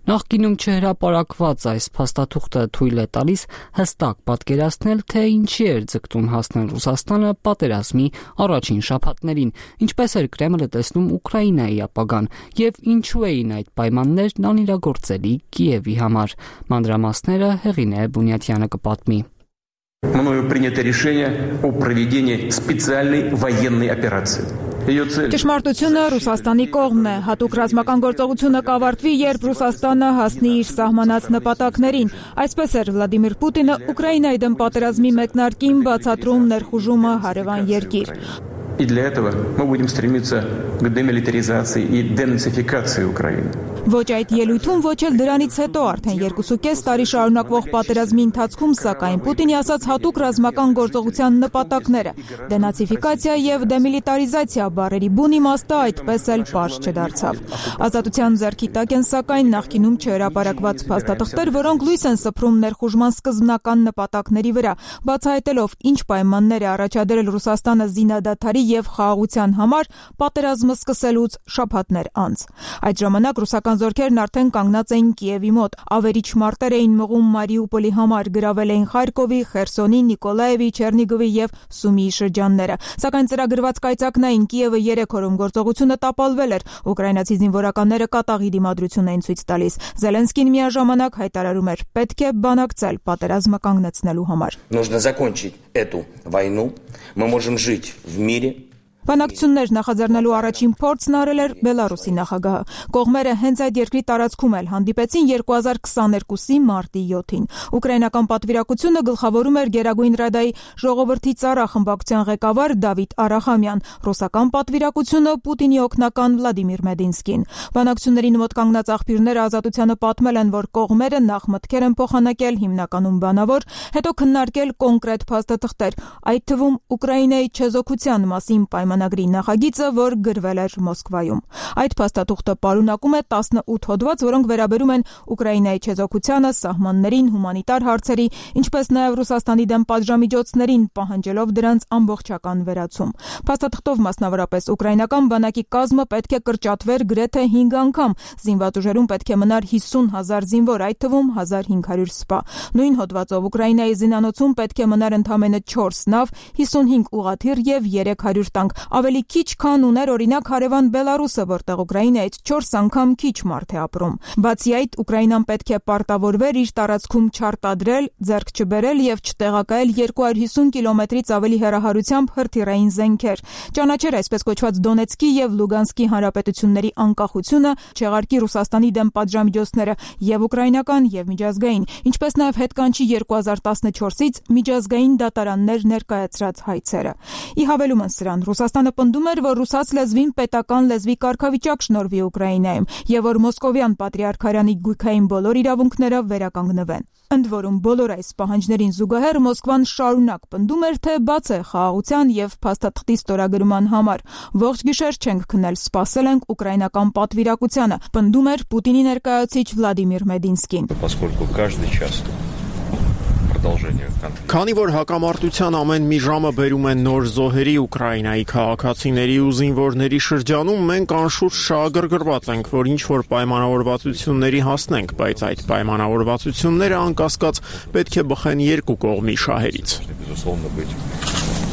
Նախկինում չհրապարակված այս փաստաթուղթը թույլ է տալիս հստակ պատկերացնել, թե ինչի էր ձգտում հասնել Ռուսաստանը պատերազմի առաջին շաբաթներին, ինչպես էր Կրեմլը տեսնում Ուկրաինայի ապագան եւ ինչու էին այդ պայմաններն անիրագործելի Կիևի համար։ Մանրամասները Հեղինե Բունյաթյանը կպատմի։ Мною принято решение о проведении специальной военной операции. Ճշմարտությունը Ռուսաստանի կողմն է, հատուկ ռազմական գործողությունը կավարտվի, երբ Ռուսաստանը հասնի իր սահմանած նպատակներին։ Այսպես էր Վլադիմիր Պուտինը Ուկրաինայի դեմ պատերազմի մեկնարկին բացատրում ներխուժումը հարևան երկիր։ И для этого мы будем стремиться к демилитаризации и денацификации Украины. Ոչ այդ ելույթում, ոչ էլ դրանից հետո արդեն 2.5 տարի շարունակվող պատերազմի ընթացքում, սակայն Պուտինի ասած հատուկ ռազմական գործողության նպատակները, դենացիֆիկացիա եւ դեմիլիտարիզացիա բառերի բուն իմաստը այդպես էլ պարզ չդարձավ։ Ազատության ձեռքի տակ են սակայն նախկինում չհրապարակված փաստաթղթեր, որոնք լույս են սփռում ներխուժման սկզբնական նպատակների վրա, բացահայտելով ինչ պայմաններ է առաջադրել Ռուսաստանը զինադադարի եւ խաղաղության համար պատերազմը սկսելուց շաբաթներ անց։ Այդ ժամանակ ռուսական զորքերն արդեն կանգնած էին Կիևի մոտ, ավերիչ մարտեր էին մղում Մարիուպոլի համար, գրավել էին Խարկովի, Խերսոնի, Նիկոլաևի, Չերնիգովի եւ Սումիի շրջանները։ Սակայն ծրագրված կայծակնային Կիևը 3 օրում գործողությունը տապալվել էր։ Ուկրաինացի զինվորականները կատաղի դիմադրություն էին ցույց տալիս։ Զելենսկին միաժամանակ հայտարարում էր՝ պետք է բանակցել պատերազմը կանգնեցնելու համար։ Нужно закончить эту войну. Мы можем жить в мире. Բանակցություններ նախաձեռնելու առաջին փորձն արել էր Բելարուսի նախագահը։ Կողմերը հենց այդ երկրի տարածքում էլ հանդիպեցին 2022-ի մարտի 7-ին։ Ուկրաինական պատվիրակությունը գլխավորում էր Գերագույն Ռադայի ժողովրդի ծառա խմբակցության ղեկավար Դավիթ Արախամյան, ռուսական պատվիրակությունը Պուտինի օգնական Վլադիմիր Մեդինսկին։ Բանակցություններին մոտ կանգնած աղբյուրները Ազատությանը պատմել են, որ կողմերը նախ մտքեր են փոխանակել հիմնականում բանավոր, հետո քննարկել կոնկրետ փաստաթղթեր, այդ թվում Ուկրաինայի չեզոքության մասին պայմանագրի նախագիծը, որ գրվել էր Մոսկվայում։ Այդ փաստաթուղթը պարունակում է 18 հոդված, որոնք վերաբերում են Ուկրաինայի չեզոքությանը, սահմաններին, հումանիտար հարցերի, ինչպես նաև Ռուսաստանի դեմ պատժամիջոցներին, պահանջելով դրանց ամբողջական վերացում։ Փաստաթղթով մասնավորապես ուկրաինական բանակի կազմը պետք է կրճատվեր գրեթե 5 անգամ, զինված ուժերում պետք է մնար 50,000 զինվոր, այդ թվում 1500 սպա։ Նույն հոդվածով Ուկրաինայի զինանոցում պետք է մնար ընդամենը 4 նավ, 55 ուղղաթիռ եւ 300 տանկ, ավելի քիչ քան ուներ օրինակ հարևան Բելարուսը, որտեղ Ուկրաինայից 4 անգամ քիչ մարդ է ապրում։ Բացի այդ, Ուկրաինան պետք է պարտավորվեր իր տարածքում չարտադրել, ձեռք չբերել եւ չտեղակայել 250 կիլոմետրից ավելի հեռահարությամբ հրթիռային զենքեր, ճանաչեր այսպես կոչված Դոնեցկի եւ Լուգանսկի հանրապետությունների անկախությունը, չեղարկի Ռուսաստանի դեմ պատժամիջոցները եւ ուկրաինական եւ միջազգային, ինչպես նաեւ հետ կանչի 2014-ից միջազգային դատարաններ ներկայացրած հայցերը։ Ի հավելումն սրան, Ռուսաստանը պնդում էր, որ ռուսաց լեզվին պետական լեզվի կարգավիճակ շնորհվի Ուկրաինայում եւ որ Մոսկովյան պատրիարքարանի գույքային բոլոր իրավունքները վերականգնվեն։ Ընդ որում, բոլոր այս պահանջներին զուգահեռ Մոսկվան շարունակ պնդում էր, թե բաց է խաղաղության եւ փաստաթղթի ստորագրման համար։ Ողջ գիշեր չենք քնել, սպասել ենք ուկրաինական պատվիրակությանը, պնդում էր Պուտինի ներկայացուցիչ Վլադիմիր Մեդինսկին։ Քանի որ հակամարտության ամեն մի ժամը բերում են նոր զոհերի Ուկրաինայի քաղաքացիների ու զինվորների շրջանում, մենք անշուշտ շահագրգռված ենք, որ ինչ-որ պայմանավորվածությունների հասնենք, բայց այդ պայմանավորվածությունները անկասկած պետք է բխեն երկու կողմի շահերից։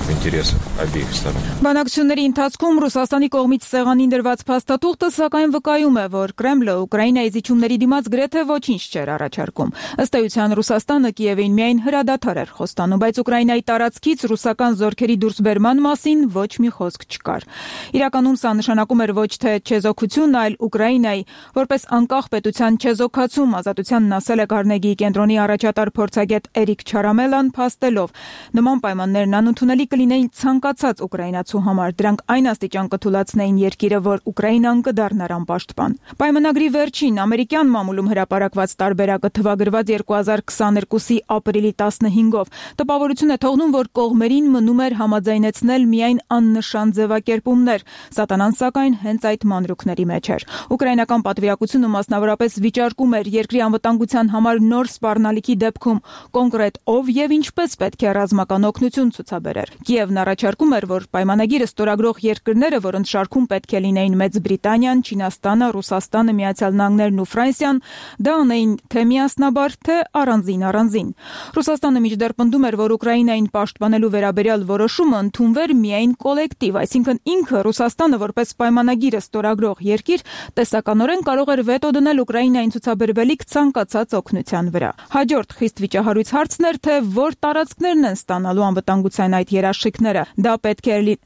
Բանակցությունների ընթացքում Ռուսաստանի կողմից սեղանին դրված փաստաթուղթը սակայն վկայում է, որ Կրեմլը Ուկրաինայի զիջումների դիմաց գրեթե ոչինչ չէր առաջարկում։ Ըստ էության Ռուսաստանը Կիևին միայն հրադադար էր խոստանում, բայց Ուկրաինայի տարածքից ռուսական զորքերի դուրսբերման մասին ոչ մի խոսք չկար։ Իրականում սա նշանակում էր ոչ թե չեզոքություն, այլ Ուկրաինայի որպես անկախ պետության չեզոքացում, Ազատությանն ասել է Կարնեգիի կենտրոնի առաջատար փորձագետ Էրիկ Չարամելան, փաստելով նման պայմաններն անընդունելի կլինեին ցանկացած ուկրաինացու համար, դրանք այն աստիճան կթուլացնեին երկիրը, որ Ուկրաինան կդառնար անպաշտպան։ Պայմանագրի վերջին ամերիկյան մամուլում հրապարակված տարբերակը թվագրված 2022-ի ապրիլի 15-ով տպավորություն է թողնում, որ կողմերին մնում էր համաձայնեցնել միայն աննշան ձևակերպումներ։ Սատանան սակայն հենց այդ մանրուքների մեջ էր։ Ուկրաինական պատվիրակությունը մասնավորապես վիճարկում էր երկրի անվտանգության համար նոր սպառնալիքի դեպքում կոնկրետ ով եւ ինչպես պետք է ռազմական օգնություն ցուցաբերեր։ Կիևն առաջարկում էր, որ պայմանագիրը ստորագրող երկրները, որոնց շարքում պետք է լինեին Մեծ Բրիտանիան, Չինաստանը, Ռուսաստանը, Միացյալ Նահանգներն ու Ֆրանսիան, դա անեին թե միասնաբար, թե առանձին։ Ռուսաստանը մինչդեռ պնդում էր, որ Ուկրաինային պաշտպանելու վերաբերյալ որոշումը ընդունվեր միայն կոլեկտիվ, այսինքն ինքը Ռուսաստանը որպես պայմանագիրը ստորագրող երկիր տեսականորեն կարող էր վետո դնել Ուկրաինային ցուցաբերվելիք ցանկացած օգնության վրա։ Հաջորդ խիստ վիճահարույց հարցն էր, թե որ տարածքներն են ստանալու անվտանգության այդ երաշխիքները։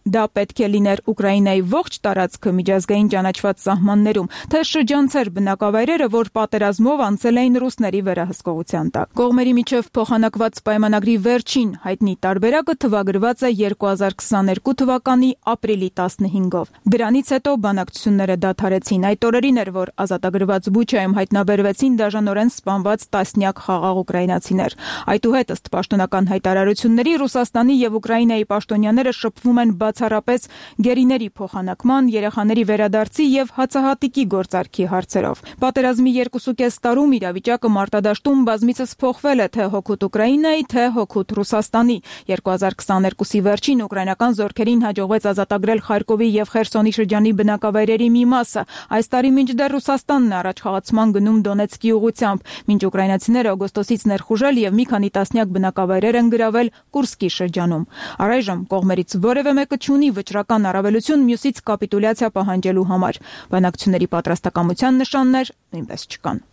Դա պետք է լիներ Ուկրաինայի ողջ տարածքը միջազգային ճանաչված սահմաններում, թե շրջանցեր բնակավայրերը, որ պատերազմով անցել էին ռուսների վերահսկողության տակ։ Կողմերի միջև փոխանակված պայմանագրի վերջին հայտնի տարբերակը թվագրված է 2022 թվականի ապրիլի 15-ով։ Դրանից հետո բանակցությունները դադարեցին։ Այդ օրերին էր, որ ազատագրված Բուչայում հայտնաբերվեցին դաժանորեն սպանված տասնյակ խաղաղ ուկրաինացիներ։ Այդուհետ ըստ պաշտոնական հայտարարությունների Ռուսաստանի եւ Ուկրաինայի պաշտոնյաները շփվում են բացառապես գերիների փոխանակման, երեխաների վերադարձի եւ հացահատիկի գործարքի հարցերով։ Պատերազմի 2.5 տարում իրավիճակը մարտադաշտում բազմիցս փոխվել է թե հօգուտ Ուկրաինայի, թե հօգուտ Ռուսաստանի։ 2022-ի վերջին ուկրաինական զորքերին հաջողվեց ազատագրել Խարկովի եւ Խերսոնի շրջանի բնակավայրերի մի մասը։ Այս տարի մինչդեռ Ռուսաստանն առաջխաղացման գնում Դոնեցկի ուղությամբ, մինչ ուկրաինացիները օգոստոսից ներխուժել եւ մի քանի տասնյակ բնակավայրեր են գրավել Կուրսկի շրջանում։ Առայժմ կողմերից որևէ մեկը չունի վճռական առավելություն մյուսից կապիտուլյացիա պահանջելու համար։ Բանակցությունների պատրաստակամության նշաններ նույնպես չկան։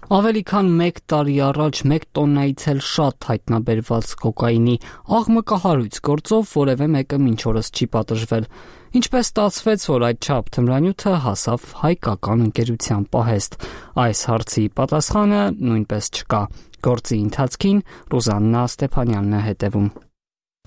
Ավելի քան 1 տարի առաջ 1 տոննայից էլ շատ հայտնաբերված կոկաինի աղմկահարույց գործով որևէ մեկը մինչ օրս չի պատժվել։ Ինչպես ստացվեց, որ այդչափ թմրանյութը հասավ հայկական ընկերության պահեստ։ Այս հարցի պատասխանը նույնպես չկա։ Գործի ընթացքին Ռուզաննա Ստեփանյանն է հետևում։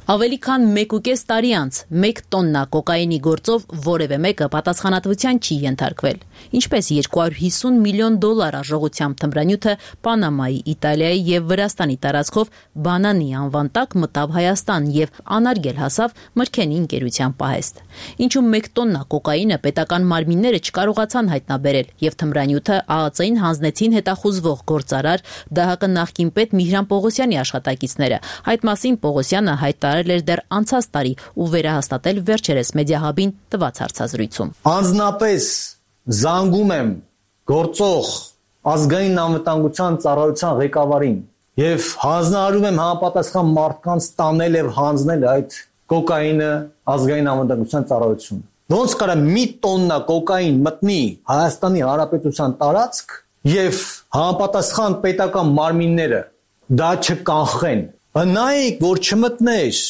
Ավելի քան 1.5 տարի անց 1 տոննա կոկաինի գործով որևէ մեկը պատասխանատվության չի ենթարկվել։ Ինչպես 250 միլիոն դոլար արժողությամբ թմրանյութը Պանամայի, Իտալիայի եւ Վրաստանի տարածքով բանանի անվան տակ մտավ Հայաստան եւ անարգել հասավ Մրգենի ընկերության պահեստ։ Ինչու 1 տոննա կոկաինը պետական մարմինները չկարողացան հայտնաբերել եւ թմրանյութը ԱԱԾ-ին հանձնեցին հետախուզվող գործարար ԴՀԿ նախկին պետ Միհրան Պողոսյանի աշխատակիցները։ Այդ մասին Պողոսյանը հայտարարել էր դեռ անցած տարի ու վերահաստատել վերջերս Մեդիահաբին տված հարցազրույցում։ Անձնապես զանգում եմ գործող ազգային անվտանգության ծառայության ղեկավարին եւ հանձնարարում եմ համապատասխան մարդկանց տանել եւ հանձնել այդ կոկաինը ազգային անվտանգության ծառայություն։ Ոնց կարա մի տոննա կոկաին մտնի Հայաստանի Հանրապետության տարածք եւ համապատասխան պետական մարմինները դա չկանխեն։ Նայեք, որ չմտներ,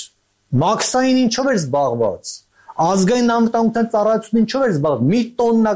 մաքսային ինչով էր զբաղված, ազգային անվտանգության ծառայությունը ինչով էր զբաղված, մի տոննա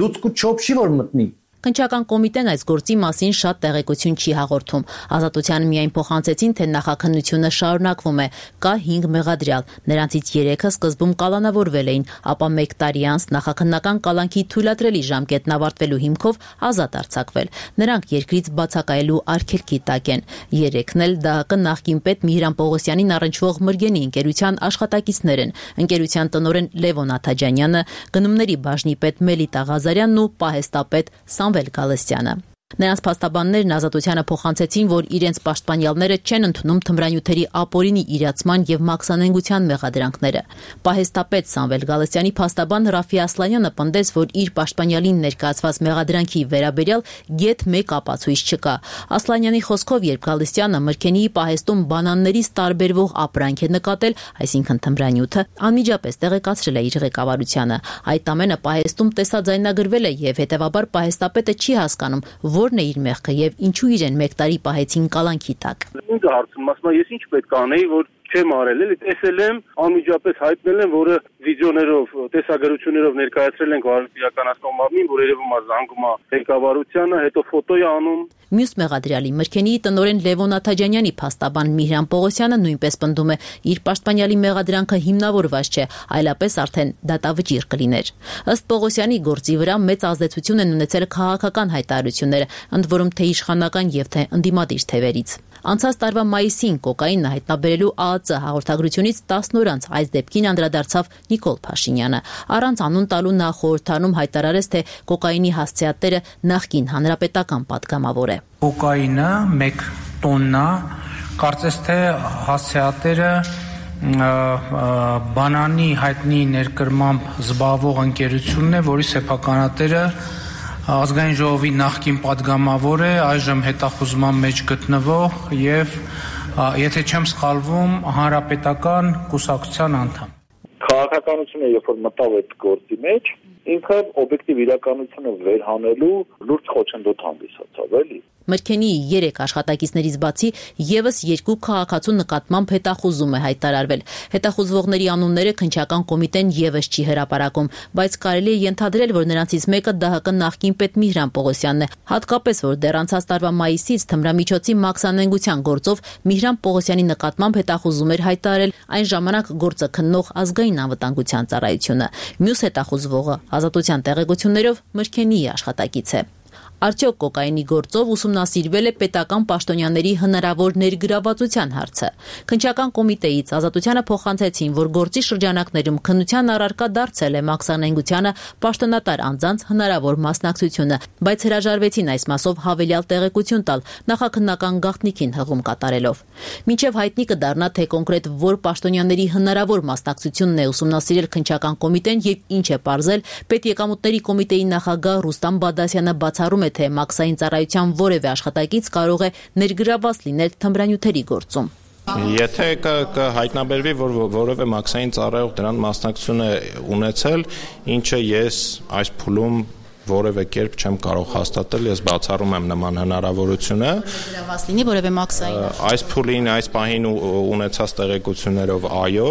լուցկու չոփ չի որ մտնի։ Քննչական կոմիտեն այս գործի մասին շատ տեղեկություն չի հաղորդում։ Ազատության միայն փոխանցեցին, թե նախաքննությունը շարունակվում է, կա 5 մեղադրյալ, նրանցից 3-ը սկզբում կալանավորվել էին, ապա 1 տարի անց նախաքննական կալանքի թույլատրելի ժամկետն ավարտվելու հիմքով ազատ արձակվել։ Նրանք երկրից բացակայելու արգելքի տակ են։ 3-ն էլ ԴՀԿ նախկին պետ Միհրան Պողոսյանին առնչվող Մրգենի ընկերության աշխատակիցներ են։ Ընկերության տնօրեն Լևոն Աթաջանյանը, գնումների բաժնի պետ Մելիտա Ղազարյանն ու պահեստապետ Սամվել Գալստյանը։ Նրանց փաստաբաններն Ազատությանը փոխանցեցին, որ իրենց պաշտպանյալները չեն ընդունում թմրանյութերի ապօրինի իրացման եւ մաքսանենգության մեղադրանքները։ Պահեստապետ Սամվել Գալստյանի փաստաբան Ռաֆի Ասլանյանը պնդեց, որ իր պաշտպանյալին ներկայացված մեղադրանքի վերաբերյալ գեթ 1 ապացույց չկա։ Ասլանյանի խոսքով, երբ Գալստյանը Մրգենիի պահեստում բանաններից տարբերվող ապրանք է նկատել, այսինքն թմրանյութը, անմիջապես տեղեկացրել է իր ղեկավարությանը։ Այդ ամենը պահեստում տեսաձայնագրվել է եւ հետեւաբար պահեստապետը չի հասկանում, որն է իր մեղքը եւ ինչու իրեն 1 տարի պահեցին կալանքի տակ։ Ինձ հարցում, ասում եմ, ես ինչ պետք անեի, որ չեմ արել, էլի տեսել եմ, անմիջապես հայտնել եմ, որը վիդեոներով, տեսագրություններով ներկայացրել ենք վարչական մարմին, որ երևում է զանգում է ղեկավարությանը, հետո ֆոտո է անում։ Մյուս մեղադրյալի Մրգենիի տնօրեն Լևոն Աթաջանյանի փաստաբան Միհրան Պողոսյանը նույնպես պնդում է, իր պաշտպանյալի մեղադրանքը հիմնավորված չէ, այլապես արդեն դատավճիռ կլիներ։ Ըստ Պողոսյանի գործի վրա մեծ ազդեցություն են ունեցել քաղաքական հայտարարությունները, ընդ որում թե իշխանական եւ թե ընդդիմադիր թևերից։ Անցած տարվա մայիսին կոկաինը հայտնաբերելու ԱԱԾ հաղորդագրությունից 10 օր անց այս դեպքին անդրադարձավ Նիկոլ Փաշինյանը։ Առանց անուն տալու նա խորհրդանում հայտարարեց, թե կոկաինի հասցեատերը նախկին հանրապետական պատգամավոր է։ Կոկաինը 1 տոննա, կարծես թե հասցեատերը բանանի հայտնի ներկրմամբ զբաղվող ընկերությունն է, որի սեփականատերը ազգային ժողովի նախկին падգամավոր է, այժմ հետախուզման մեջ գտնվող եւ եթե չեմ սխալվում, հանրապետական կուսակցության անդամ։ Քաղաքականությունը երբ որ մտավ այդ գործի մեջ, ինքը օբյեկտիվ իրականությունը վերհանելու լուրջ խոչընդոտ հանդիսացավ, էլի։ Մրգենի 3 աշխատակիցներից բացի եւս 2 քաղաքացու նկատմամբ հետախուզում է հայտարարվել։ Հետախուզվողների անունները քննչական կոմիտեն եւս չի հրապարակում, բայց կարելի է ենթադրել, որ նրանցից մեկը ԴՀԿ նախկին պետ Միհրան Պողոսյանն է, հատկապես որ դեռ անցած տարվա մայիսից թմրամիջոցի մաքսանենգության գործով Միհրան Պողոսյանի նկատմամբ հետախուզում էր հայտարարել այն ժամանակ գործը քննող ազգային անվտանգության ծառայությունը։ Մյուս հետախուզվողը ազատության տեղեկություններով Մրգենիի աշխատակից է։ Արդյոք կոկայինի գործով ուսումնասիրվել է պետական պաշտոնյաների հնարավոր ներգրավվածության հարցը։ Քննչական կոմիտեից ազատությանը փոխանցեցին, որ գործի շրջանակներում քննության առարկա դարձել է մաքսանենգությանը պաշտոնատար անձանց հնարավոր մասնակցությունը, բայց հրաժարվեցին այս մասով հավելյալ տեղեկություն տալ նախաքննական գաղտնիքին հղում կատարելով։ Մինչև հայտնի կդառնա, թե կոնկրետ որ պաշտոնյաների հնարավոր մասնակցությունն է ուսումնասիրել քննչական կոմիտեն եւ ինչ է պարզել, պետեկամուտների կոմիտեի նախագահ Ռուստամ Բադասյանը բացառում է, թե մաքսային ծառայության որևէ աշխատակից կարող է ներգրավված լինել թմրանյութերի գործում։ Եթե հայտնաբերվի, որ որևէ մաքսային ծառայող դրան մասնակցություն է ունեցել, ինչը ես այս փուլում որևէ կերպ չեմ կարող հաստատել, ես բացառում եմ նման հնարավորությունը։ Ներգրավված լինի որևէ մաքսային։ Այս փուլին, այս պահին ունեցած տեղեկություններով այո։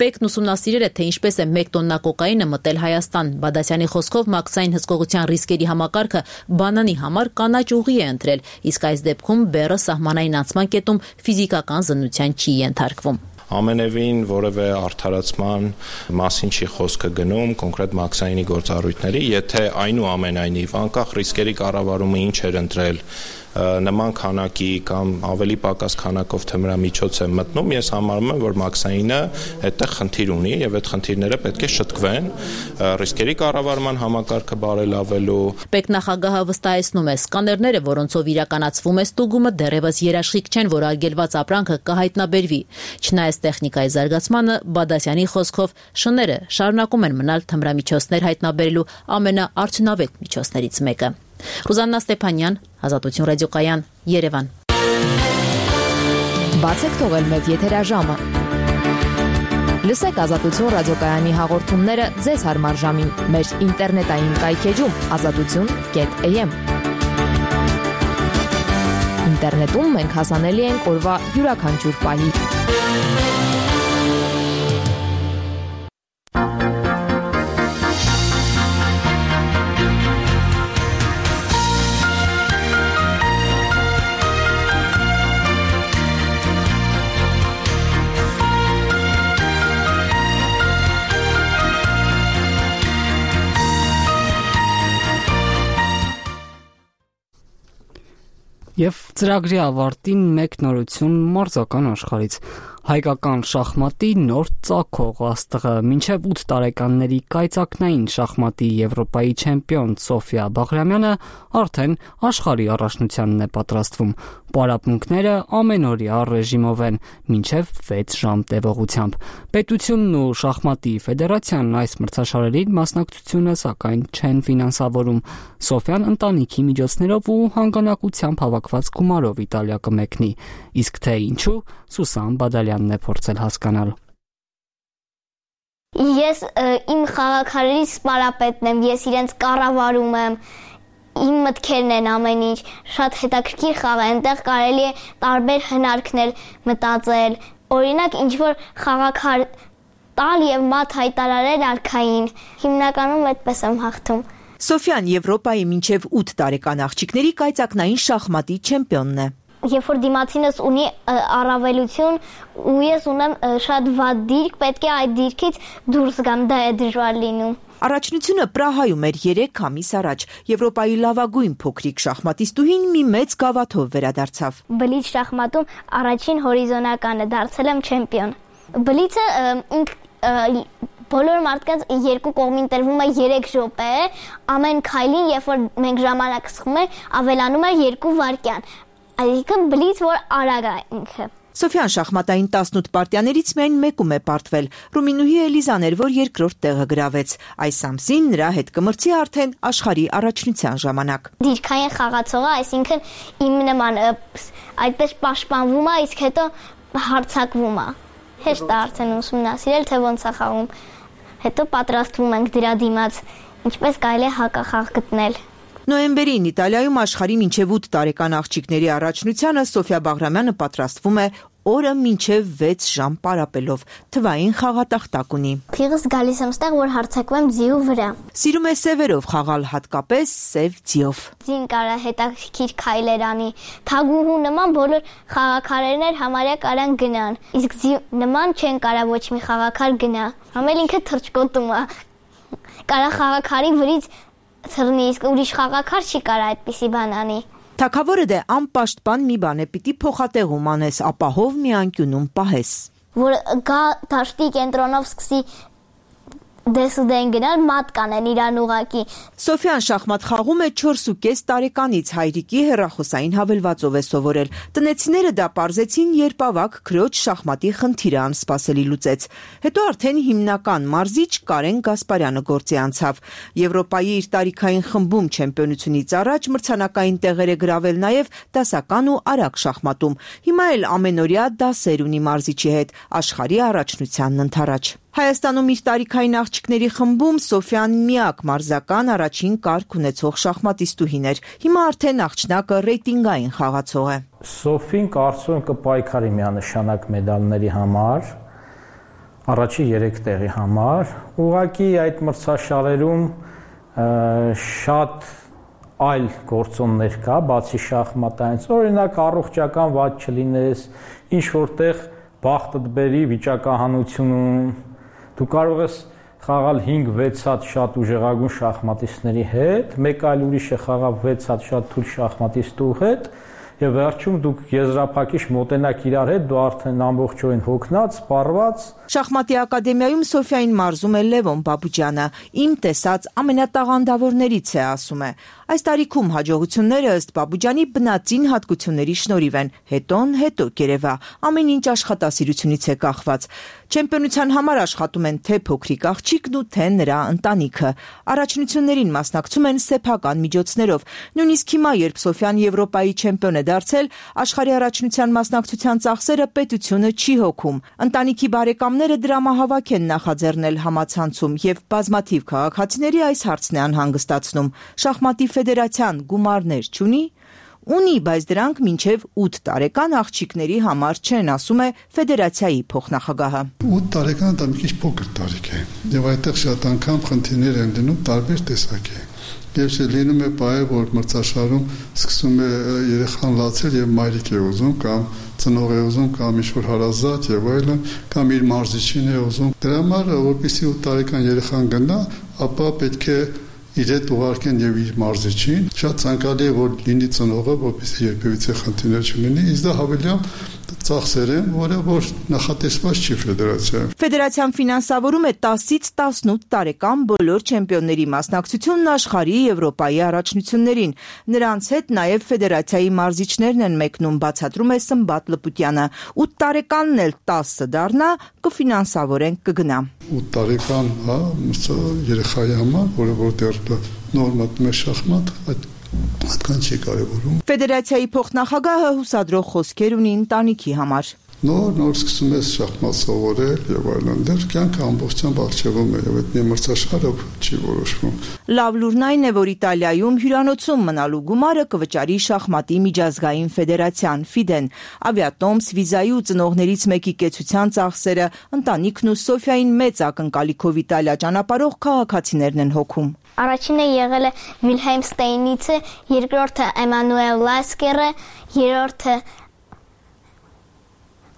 Պեկն ուսումնասիրել է, թե ինչպես է 1 տոննա կոկայինը մտել Հայաստան։ Բադասյանի խոսքով մաքսային հսկողության ռիսկերի համակարգը բանանի համար կանաչ ուղի է ընտրել, իսկ այս դեպքում բեռը սահմանային անցման կետում ֆիզիկական զննության չի ենթարկվում։ Ամենևին որևէ արդարացման մասին չի խոսքը գնում կոնկրետ մաքսայինի գործառույթների, եթե այնուամենայնիվ անկախ ռիսկերի կառավարումը ինչ էր ընտրել նման քանակի կամ ավելի պակաս քանակով թմրամիջոց է մտնում, ես համարում եմ, որ մաքսայինը այդտեղ խնդիր ունի եւ այդ խնդիրները պետք է շտկվեն ռիսկերի կառավարման համակարգը բարելավելու։ Պետնախագահը վստահեցնում է, սկաներները, որոնցով իրականացվում է ստուգումը, դեռևս երաշխիք չեն, որ արգելված ապրանքը կհայտնաբերվի։ Չնայած տեխնիկայի զարգացմանը, Բադասյանի խոսքով շները շարունակում են մնալ թմրամիջոցներ հայտնաբերելու ամենաարդյունավետ միջոցներից մեկը։ Ռուզաննա Ստեփանյան, Ազատություն ռադիոկայան, Երևան։ Բացեք թողել մեկ եթերաժամը։ Լսեք Ազատություն ռադիոկայանի հաղորդումները ձեզ հարմար ժամին մեր ինտերնետային կայքեջում azatutun.am։ Ինտերնետում մենք հասանելի ենք օրվա յուրաքանչյուր պահի։ Եվ ծրագրի ավարտին մեկ նորություն մարզական աշխարհից։ Հայկական շախմատի նոր ծագող աստղը մինչև 8 տարեկանների կայծակնային շախմատի Եվրոպայի չեմպիոն Սոֆիա Բաղրամյանը արդեն աշխարհի առաջնությանն է պատրաստվում։ Պարապմունքները ամենօրյա ռեժիմով են մինչև 6 ժամ տևողությամբ։ Պետությունն ու շախմատի ֆեդերացիան այս մրցաշարերին մասնակցությունը սակայն չեն ֆինանսավորում։ Սոֆիան ընտանիքի միջոցներով ու հանգանակությամբ հավաքված գումարով Իտալիա կմեկնի։ Իսկ թե ինչու, Սուսան Բադալյանն է փորձել հասկանալ։ Ես իմ խաղաքարերի սպարապետն եմ, ես իրենց կառավարում եմ, իմ մտքերն են ամեն ինչ, շատ հետաքրքիր խաղ է, այնտեղ կարելի է տարբեր հնարքներ մտածել, օրինակ ինչ-որ խաղաքար տալ եւ մատ հայտարարել արքային, հիմնականում այդպես եմ հաղթում։ Սոֆիան Եվրոպայի մինչև 8 տարեկան աղջիկների կայծակնային շախմատի չեմպիոնն է։ Երբ որ դիմացինս ունի առավելություն ու ես ունեմ շատ վատ դիրք, պետք է այդ դիրքից դուրս գամ, դա է դժվար լինում։ Առաջնությունը Պրահայում էր 3 ամիս առաջ։ Եվրոպայի լավագույն փոքրիկ շախմատիստուհին մի մեծ գավաթով վերադարձավ։ Բլիթ շախմատում առաջին հորիզոնականը դարձել եմ չեմպիոն։ Բլիթը բոլոր մարդկանց երկու կողմին տրվում է 3 րոպե, ամեն քայլին, երբ որ մենք ժամանակ սխում ենք, ավելանում է 2 վայրկյան։ Այսինքն բլիթ, որ արագ է ինքը։ Սոֆյան շախմատային 18 պարտիաներից միայն մեկում է պարտվել։ Ռումինուհի Էլիզան էր, որ երկրորդ տեղը գրավեց։ Այս ամսին նրա հետ կմրցի արդեն աշխարհի առաջնության ժամանակ։ Դիրքային խաղացողը, այսինքն իմ նման այդպես պաշտպանվում է, իսկ հետո հարձակվում է։ Հեշտ է արդեն ուսումնասիրել, թե ոնց է խաղում։ Հետո պատրաստվում ենք դրա դիմաց, ինչպես կարելի է հակախաղ գտնել։ Նոյեմբերին Իտալիայում աշխարհի մինչև 8 տարեկան աղջիկների առաջնությանը Սոֆիա Բաղրամյանը պատրաստվում է օրը մինչև 6 ժամ պարապելով, թվային խաղատախտակ ունի։ Թիղս գալիս եմ ստեղ, որ հարձակվեմ ձիու վրա։ Սիրում է սևերով խաղալ, հատկապես սև ձիով։ Ձին կարա հետաքրքիր քայլեր անի, թագուհու նման բոլոր խաղաքարերներ համարյա կարան գնան, իսկ ձի նման չեն կարա ոչ մի խաղաքար գնա։ Համել ինքը թռչկոտում է։ Կարա խաղաքարի վրից թռնի, իսկ ուրիշ խաղաքար չի կարա այդպիսի բան անի։ Թագավորը դե անպաշտպան մի բան է, պիտի փոխատեղում անես, ապահով մի անկյունում պահես։ Որ գա դաշտի կենտրոնով սկսի դեսուդեն գնալ, մատ կանեն իրան ուղակի։ Սոֆյան շախմատ խաղում է 4.5 տարեկանից, հայրիկի հեռախոսային հավելվածով է սովորել։ Տնեցիները դա պարզեցին, երբ ավագ քրոջ շախմատի խնդիրը անսպասելի լուծեց։ Հետո արդեն հիմնական մարզիչ Կարեն Գասպարյանը գործի անցավ։ Եվրոպայի իր տարիքային խմբում չեմպիոնությունից առաջ մրցանակային տեղեր է գրավել նաև դասական ու արագ շախմատում։ Հիմա էլ ամենօրյա դասեր ունի մարզիչի հետ, աշխարհի առաջնությանն ընդառաջ։ Հայաստանում իր տարիքային աղջիկների խմբում Սոֆյան միակ մարզական առաջին կարգ ունեցող շախմատիստուհին էր։ Հիմա արդեն աղջնակը ռեյտինգային խաղացող է։ Սոֆին կարծում եմ կպայքարի միանշանակ մեդալների համար, առաջի 3 տեղի համար։ Ուղղակի այդ մրցաշարերում շատ այլ գործոններ կա, բացի շախմատայից։ Օրինակ առողջական վատ չլինես, ինչ որտեղ բախտդ բերի վիճակահանությունում դու կարող ես խաղալ 5-6 հատ շատ ուժեղագույն շախմատիստների հետ, մեկ այլ ուրիշը խաղав 6 հատ շատ թույլ շախմատիստու հետ, եւ վերջում դուք եզրափակիչ մոտենաք իրար հետ, դու արդեն ամբողջովին հոգնած, սպառված։ Շախմատի ակադեմիայում Սոֆիային մարզում է Լևոն Բաբուջյանը, իմ տեսած ամենատաղանդավորներից է, ասում է։ Այս տարիքում հաջողությունները ըստ Բաբուջյանի բնածին հատկությունների շնորհիվ են, հետո կերևա, ամեն ինչ աշխատասիրությունից է կախված։ Չեմպիոնության համար աշխատում են թե փոքրիկ աղջիկն ու թե նրա ընտանիքը։ Առաջնություններին մասնակցում են սեփական միջոցներով։ Նույնիսկ հիմա, երբ Սոֆյան Եվրոպայի չեմպիոն է դարձել, աշխարհի առաջնության մասնակցության ծախսերը պետությունը չի հոգում։ Ընտանիքի բարեկամները դրամահավաք են նախաձեռնել համացանցում եւ բազմաթիվ քաղաքացիների այս հարցն է անհանգստացնում։ Շախմատի ֆեդերացիան գումարներ չունի։ Ունի, բայց դրանք մինչև 8 տարեկան աղջիկների համար չեն, ասում է ֆեդերացիայի փոխնախագահը։ 8 տարեկան դա մի քիչ փոքր տարիք է, եւ այդտեղ շատ անգամ խնդիրներ են դնում տարբեր տեսակի։ Եվ լինում է բայ, որ մրցաշարում սկսում է երեխան լացել եւ մայրիկ է ուզում կամ ծնող է ուզում կամ ինչ-որ հարազատ եւ այլն, կամ իր մարզիչին է ուզում։ Դրա համար, որպեսզի 8 տարեկան երեխան գնա, ապա պետք է իր հետ ուղարկեն եւ իր մարզիչին։ Շատ ցանկալի է, որ լինի ծնողը, որպեսզի երբևիցե խնդիրներ չլինի, իսկ դա հավելյալ ծախսեր են, որ նախատեսված չի ֆեդերացիայում։ Ֆեդերացիան ֆինանսավորում է 10-ից 18 տարեկան բոլոր չեմպիոնների մասնակցությունն աշխարհի Եվրոպայի առաջնություններին։ Նրանց հետ նաև ֆեդերացիայի մարզիչներն են մեկնում, բացատրում է Սմբատ Լպուտյանը։ 8 տարեկանն էլ 10 դառնա, կֆինանսավորեն, կգնա։ 8 տարեկան, երեխայի համար, որը դեռ նոր մտնում է շախմատ, այդքան չի կարևորում։ Ֆեդերացիայի փոխնախագահը հուսադրող խոսքեր ունի ընտանիքի համար։ Նոր սկսում ես շախմատ սովորել եւ այլն, դեռ կյանքը ամբողջությամբ աղջևում է եւ այդ մի մրցաշարը չի որոշվում։ Լավ լուրն այն է, որ Իտալիայում հյուրանոցում մնալու գումարը կվճարի շախմատի միջազգային ֆեդերացիան FIDE-ն։ Ավիատոմս, վիզայի ու ծնողներից մեկի կեցության ծախսերը, ընտանիքն ու Սոֆիային մեծ ակնկալիքով Իտալիա ճանապարհող քաղաքացիներն են հոգում։ Առաջինը եղել է Վիլհելմ Ստեյնիցը, երկրորդը Էմանուել Լասկերը, երրորդը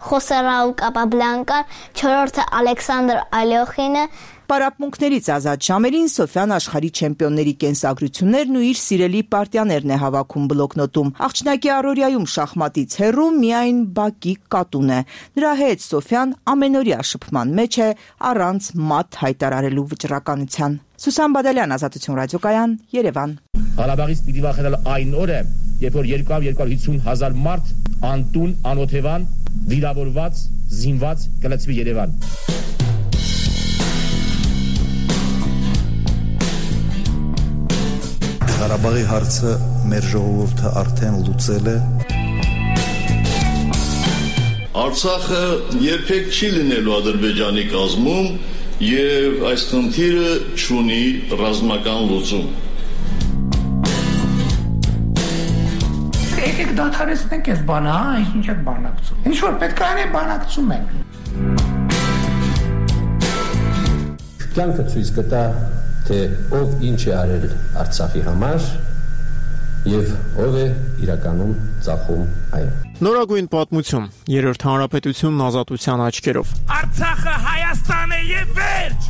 Խոսե Ռաուլ Կապաբլանկան, չորրորդը Ալեքսանդր Ալյոխինը։ Պարապմունքներից ազատ ժամերին Սոֆյան աշխարհի չեմպիոնների կենսագրություններն ու իր սիրելի պարտիաներն է հավաքում բլոկնոտում։ Աղջնակի առօրյայում շախմատից հեռու միայն բակի կատուն է։ Նրա հետ Սոֆյան ամենօրյա շփման մեջ է, առանց մատ հայտարարելու վճռականության։ Սուսան Բադալյան, Ազատություն ռադիոկայան, Երևան։ Ղարաբաղից պիտի վախենալ այն օրը, երբ որ 200-250 հազար մարդ անտուն, անօթևան վիրավորված, զինված կլցվի Երևան։ Ղարաբաղի հարցը մեր ժողովուրդը արդեն լուծել է։ Արցախը երբեք չի լինելու Ադրբեջանի կազմում եւ այս խնդիրը չունի ռազմական լուծում։ Եկեք դադարեցնենք այս բանը, ինչ եք բանակցում։ Ինչ որ պետք է անենք, բանակցում ենք։ Կյանքը ցույց կտա, թե ով ինչ է արել Արցախի համար եւ ով է իրականում ծախում այն։ Նորագույն պատմություն, Երրորդ հանրապետությունն ազատության աչքերով։ Արցախը Հայաստան է եւ վերջ։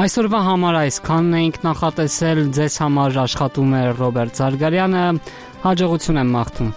Այսօրվա համար այսքանն էինք նախատեսել, ձեզ համար աշխատում է Ռոբերտ Զարգարյանը, հաջողություն եմ մաղթում։